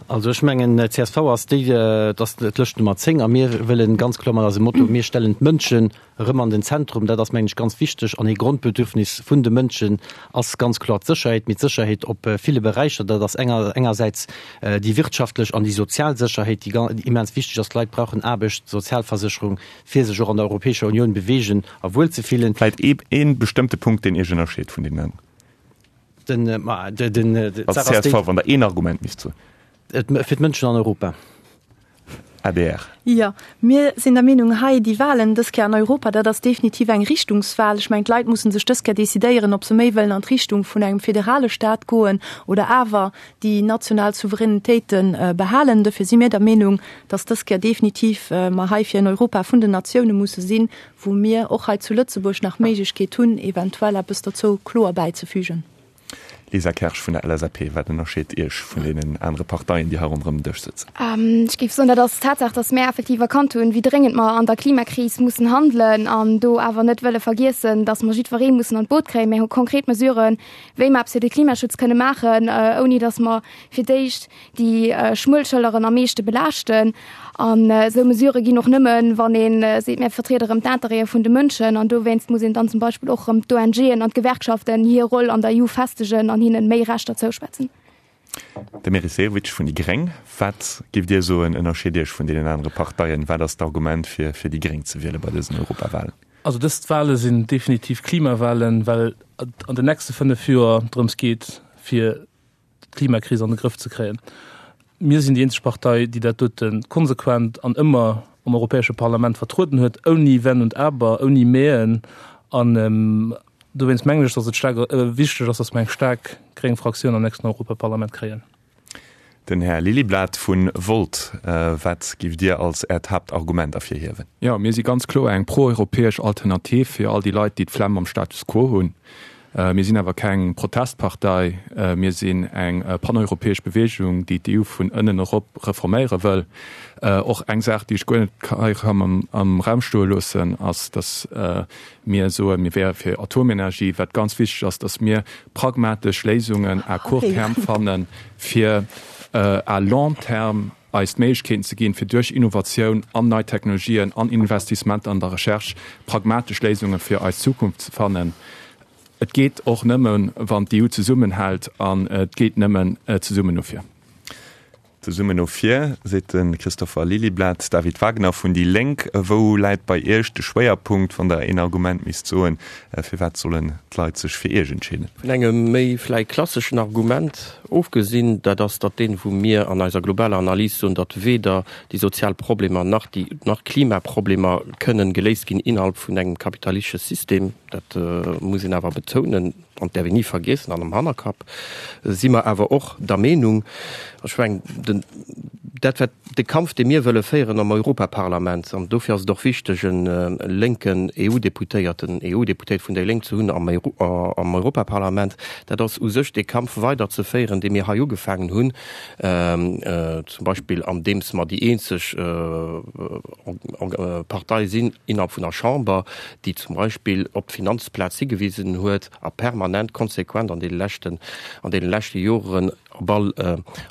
Also ech mengen, C S V ass déi, et ass d'Lëscht Nummer zéng a mir wëllen ganz kloer mat eisem Motto, mir stellen d'Mënschen erëm an den Zentrum, dat ass mengen ech ganz wichteg an ee Grondbedürfnis vun de Mënschen ass ganz kloer d'Sécherheet, mee d'Sécherheet op ville Beräicher, dat ass enger engersäits déi wirtschaftlech an déi sozial Sécherheet, déi immens wichteg ass. D'Leit brauchen Aarbecht, Sozialversécherung, fir sech och an der Europäescher Unioun beweegen a wuel ze fillen. Vläit ee bestëmmte Punkt, deen Iech ënnerscheet vun deenen aneren? Den, ma, de, den, de, Als C S V, wann Der een Argument misst soen. Et, fir d'Mënschen an Europa. A D R. Jo, mir sinn der Meenung, hei déi Wahlen dës Kéier an Europa, dat ass definitiv eng Richtungswahl. Ech mengen, d'Leit musse sech dës Kéier decidéieren, ob se méi wëllen an d'Richtung vun engem federale Stat goen oder awer déi national Souveränitéite behalen. Dofir si mir der Meenung, dass dës Kéier definitiv mer hei fir en Europa vun den Natioune musse sinn, wou mir och hei zu Lëtzebuerg nach d'Méiglechkeet hunn, eventuell eppes dozou kloer bäizefügen. Lisa Kersch vun der LSAP, wat ënnerscheet Iech vun deenen anere Parteien, déi hei ronderëm den Dësch sëtzen? Ech géif soen, dat ass d'Tatsaach, datt mär effektiv erkannt hunn, wéi dréngend mer an der Klimakris mussen handelen an do awer net wëlle vergiessen, datt mer jiddweree mussen an d'Boot kréien. Mär hu konkret Mesuren, wéi mer eppes fir de Klimaschutz kënne maachen, ouni datt mer fir d'éischt déi schmuel Schëlleren am meeschte belaaschten. An esou Mesurë ginn och nëmmen, wann ee seet, mir vertriede erëm d'Intérêtë vun de Mënschen. An dowéinst muss een dann zum Beispill och erëm d'ONGen an d'Gewerkschaften hir Roll an der EU festegen an hinnen méi Rechter zouschwätzen. De Meris Sehovic vun déi gréng, Wat géift Dir soen, ënnerscheet Iech vun deenen anere Parteien? Wat ass d'Argument, fir fir déi gréng ze wiele bei dësen Europawahlen? Also dës Wahle sinn definitiv Klimawahlen, well et an den nächste fënnef Joer drëms geet, fir d'Klimakris an de Grëff ze kréien. Mir sinn déi eenzeg Partei, déi dat dote konsequent an ëmmer am Europäesche Parlament vertrueden huet, ouni Wenn und Aber, ouni Mäen. An dowéinst mengen ech, datt et staark wichteg ass, datt mer eng staark gréng Fraktioun am nächsten Europaparlament kréien. Den Här Liliblath vu Volt, wat giff Dir als Äert Haaptargument ervirhiewen? Jo, mir si ganz kloer eng pro-europäesch Alternativ fir all déi Leit, déi d'Flemm mam Status quo hunn. Mir sinn awer keng Protestpartei, mir sinn eng paneuropäesch Beweegung, déi d'EU vun ënnen erop reforméiere wëll. Och eng Saach, déi ech guer net hei kann am Raum stoe loossen, ass, datt mir soen, mir wäre fir Atomenergie. Wat ganz wichteg ass, datt mir pragmatesch Léisungen à court terme fannen, fir à long terme eis d'Méiglechkeeten ze ginn, fir duerch Innovatioun an nei Technologien an Investissementer an der Recherche pragmatesch Léisunge fir eis Zukunft ze fannen. Et geet och nëmmen, wann d'EU zesummenhält, an et geet nëmmen zesummen no vir. Zesummen no vir, seet de Christopher Liliblath. David Wagner vun déi Lénk, wou läit bei Iech de Schwéierpunkt, wann Der een Argument misst soen, firwat sollen d'Leit sech fir Iech entscheeden? Vun engem méi vläicht klasseschen Argument ofgesinn, dat ass datt deen, wou mir an eiser globaler Analys soen, datt weder déi sozial Problemer nach déi nach d'Klimaproblemer kënnen geléist ginn innerhalb vun engem kapitalistesche System, dat muss een awer betounen an däerf een ni vergiessen an am Hannerkapp si mer awer och der Meenung, ech mengen den, dat wat de Kampf dee mir wëlle féieren am Europaparlament, an dofir ass et och wichteg e lénken EU-Deputéierten, EU-Deputéiert vun déi Lénk ze hunn am am Europaparlament, dat ass u sech dee Kampf weiderzeféieren, dee mir hei ugefaangen hunn, zum Beispill andeems mer déi eenzeg Partei sinn innerhalb vun der Chamber, déi zum Beispill op d'Finanzplaz higewisen huet a permanent konsequent an deene leschten, an deene leschte Joren op all,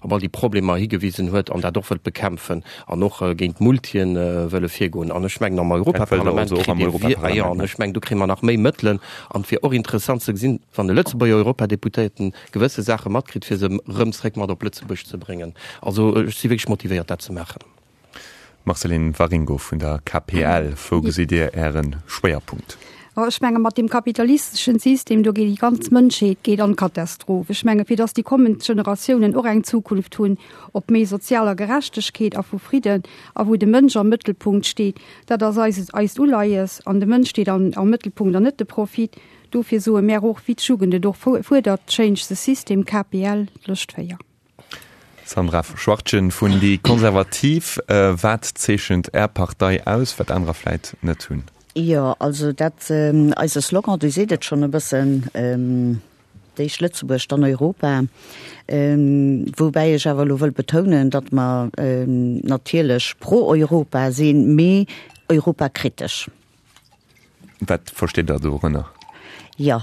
op all déi Problemer higewisen huet an dat och wëllt bekämpfen an och géint d'Multien wëlle virgoen. An ech mengen, am Europaparlament kritt ee, ah jo, an ech mengen, do kréie mer nach méi Mëttelen. An et wier och interessant ze gesinn, wann e Lëtzebuerger Europadeputéierten gewësse Saache matkritt, fir se erëm zréck mat op Lëtzebuerg ze bréngen. Also ech si wierklech motivéiert, dat ze maachen. Marceline Waringo vun der KPL, Wou gesitt Dir Äre Schwéierpunkt? Oh, ech menge mat deem kapitalisteschen System, do geet déi ganz Mënschheet geet an d'Katastroph. Ech menge fir datt déi kommend Generatiounen och eng Zukunft hunn op méi sozialer Gerechtegkeet a vu Fridden a wou de Mënsch am Mëttelpunkt steet, dat ass eis eist Uleies. An de Mënsch steet am am Mëttelpunkt an net de Profit. Dofir soe mär och, wéi d'Jugend et och fuerdert, Change the system, KPL, Lëscht véier. Sandra Schwartgen vun déi Konservativ, Wat zeechent Är Partei aus, wat anerer vläit net hunn? Jo, also dat, eise Slogan, dee seet et schonn e bëssen, D'éischt Lëtzebuerg, dann Europa. Woubäi ech awer elo wëll betounen, datt mer natierlech pro Europa sinn, mee europakritesch. Wat versteet Der dorënner? Jo,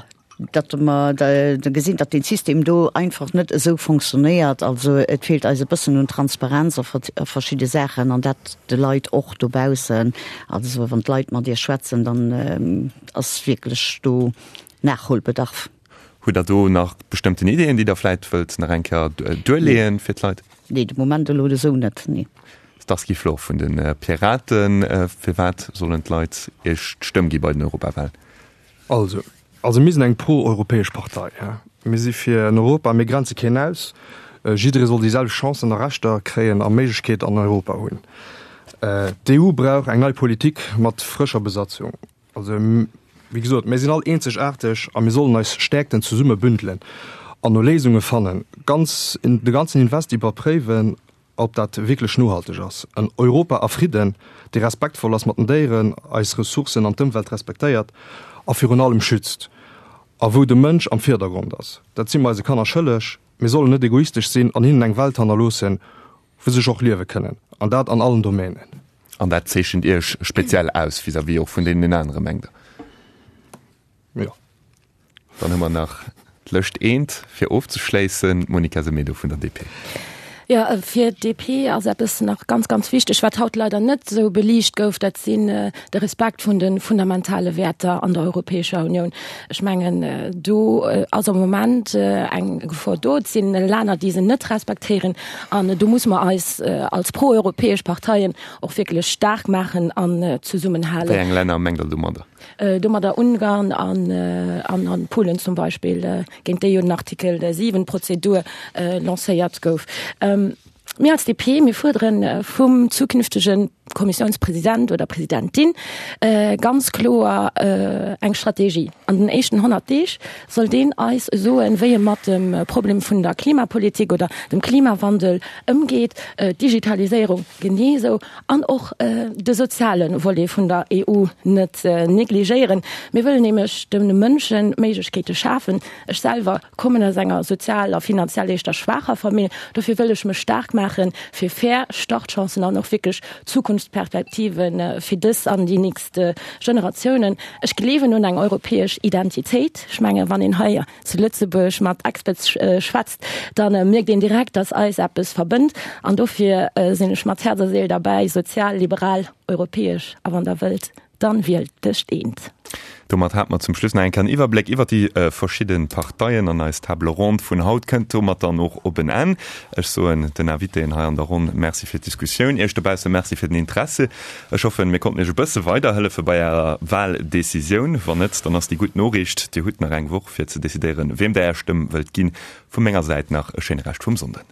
datt mer gesinn, datt dee System do einfach net esou fonctionnéiert. Also et feelt eis e bëssen un Transparenz a verschidde Saachen an dat de Leit och dobaussen. Also wann d'Leit mat Iech schwätzen, dann ass wierklech do Nachholbedarf. Hutt Der do nach bestëmmten Ideeën, déi Der vläit wëllt nach eng Kéier duerleeën fir d'Leit? Nee, de Moment elo esou net, nee. Starsky Flor vun de Piraten, Firwat sollen d'Leit Iech d'Stëmm gi bei den Europawahlen? Also, also mir sinn eng pro-europäesch Partei. Mir si fir en Europa, mir grenze keen aus. Jidderee soll déi selwecht Chancen a Rechter kréien a Méiglechkeet an Europa hunn. D'EU brauch eng nei Politik mat frëscher Besatzung. Also, wéi gesot, mir sinn all eenzegaarteg a mir sollen eis Stäerkten zesumme bündelen an no Léisunge fannen. Ganz, de ganzen Invest iwwerpréiwen ob dat wierklech nohalteg ass. En Europa a Fridden, dee respektvoll ass mat den Déieren, eis Ressourcen an d'Ëmwelt respektéiert a virun allem schützt. A wou de Mënsch am Virdergrond ass. Dat si mer eise Kanner schëlleg. Mir sollen net egoistesch sinn an hinnen eng Welt hannerloossen, wou se sech och liewe kënnen, an dat an allen Domänen. An dat zeechent Iech speziell aus vis-à-vis och vun deenen anere, mengt Der? Jo. Dann hu mer nach d'lëscht eent fir ofzeschléissen, d'Monica Semedo vun der D P. Jo, fir d'D P ass eppes nach ganz, ganz wichteg, wat haut leider net esou beliicht gouf, dat sinn de Respekt vun de fundamentale Wäerter an der Europäescher Unioun. Ech mengen, do ass am Moment eng Gefor do. Et sinn Länner, déi se net respektéieren. An do musse mer eis als proeuropäesch Parteien och wierklech staark maachen an zesummenhalen. Wéi eng Länner mengt Der domadder? Domadder Ungarn an Polen zum Beispill, géint déi jo den Artikel siwen Prozedur lancéiert gouf. Mir als D P, mir fuerdere vum zukünftege Kommissiounspresident oder Presidentin ganz kloer eng Strategie. An den éischten honnert Deeg soll deen eis soen, wéi e mat dem Problem vun der Klimapolitik oder dem Klimawandel ëmgeet, d'Digitaliséierung genee esou an och de soziale Volet vun der E U net negligéieren. Mir wëllen nämlech de Mënsche Méiglechkeete schafen. Ech selwer kommen aus enger sozial a finanziell éischter schwaacher Famill. Dofir wëll ech mech staark maache fir fair Startchancen an och wierklech Zukunftsperspektive fir dës an déi nächst Generatiounen. Ech gleewen un eng europäesch Identitéit. Ech menge wann een hei zu Lëtzebuerg mat Expats schwätzt, da mierkt een direkt, datt eis eppes verbënnt. An dofir sinn ech mat Häerz a Séil derbäi, sozial, liberal, europäesch a wann Der wëllt, dann wielt dëscht eent. Domat hat mer zum Schluss nach eng Kéier en Iwwerbléck iwwert déi verschidde Parteien an eis Table ronde vun haut kënnt domat dann och op en Enn. Ech soen den Invitéen hei an der Ronn Merci fir d'Diskussioun, Iech dobausse Merci fir den Interesse. Ech hoffen, mir konnten Iech e bësse weiderhëllefe bei Ärer Wahldecisioun. Wann net, dann ass déi gutt Noriicht, Dir hutt nach eng Woch fir ze decidéieren, wiem Der Är Stëmm wëllt ginn. Vu menger Säit nach e schéine Rescht vum Sonnden.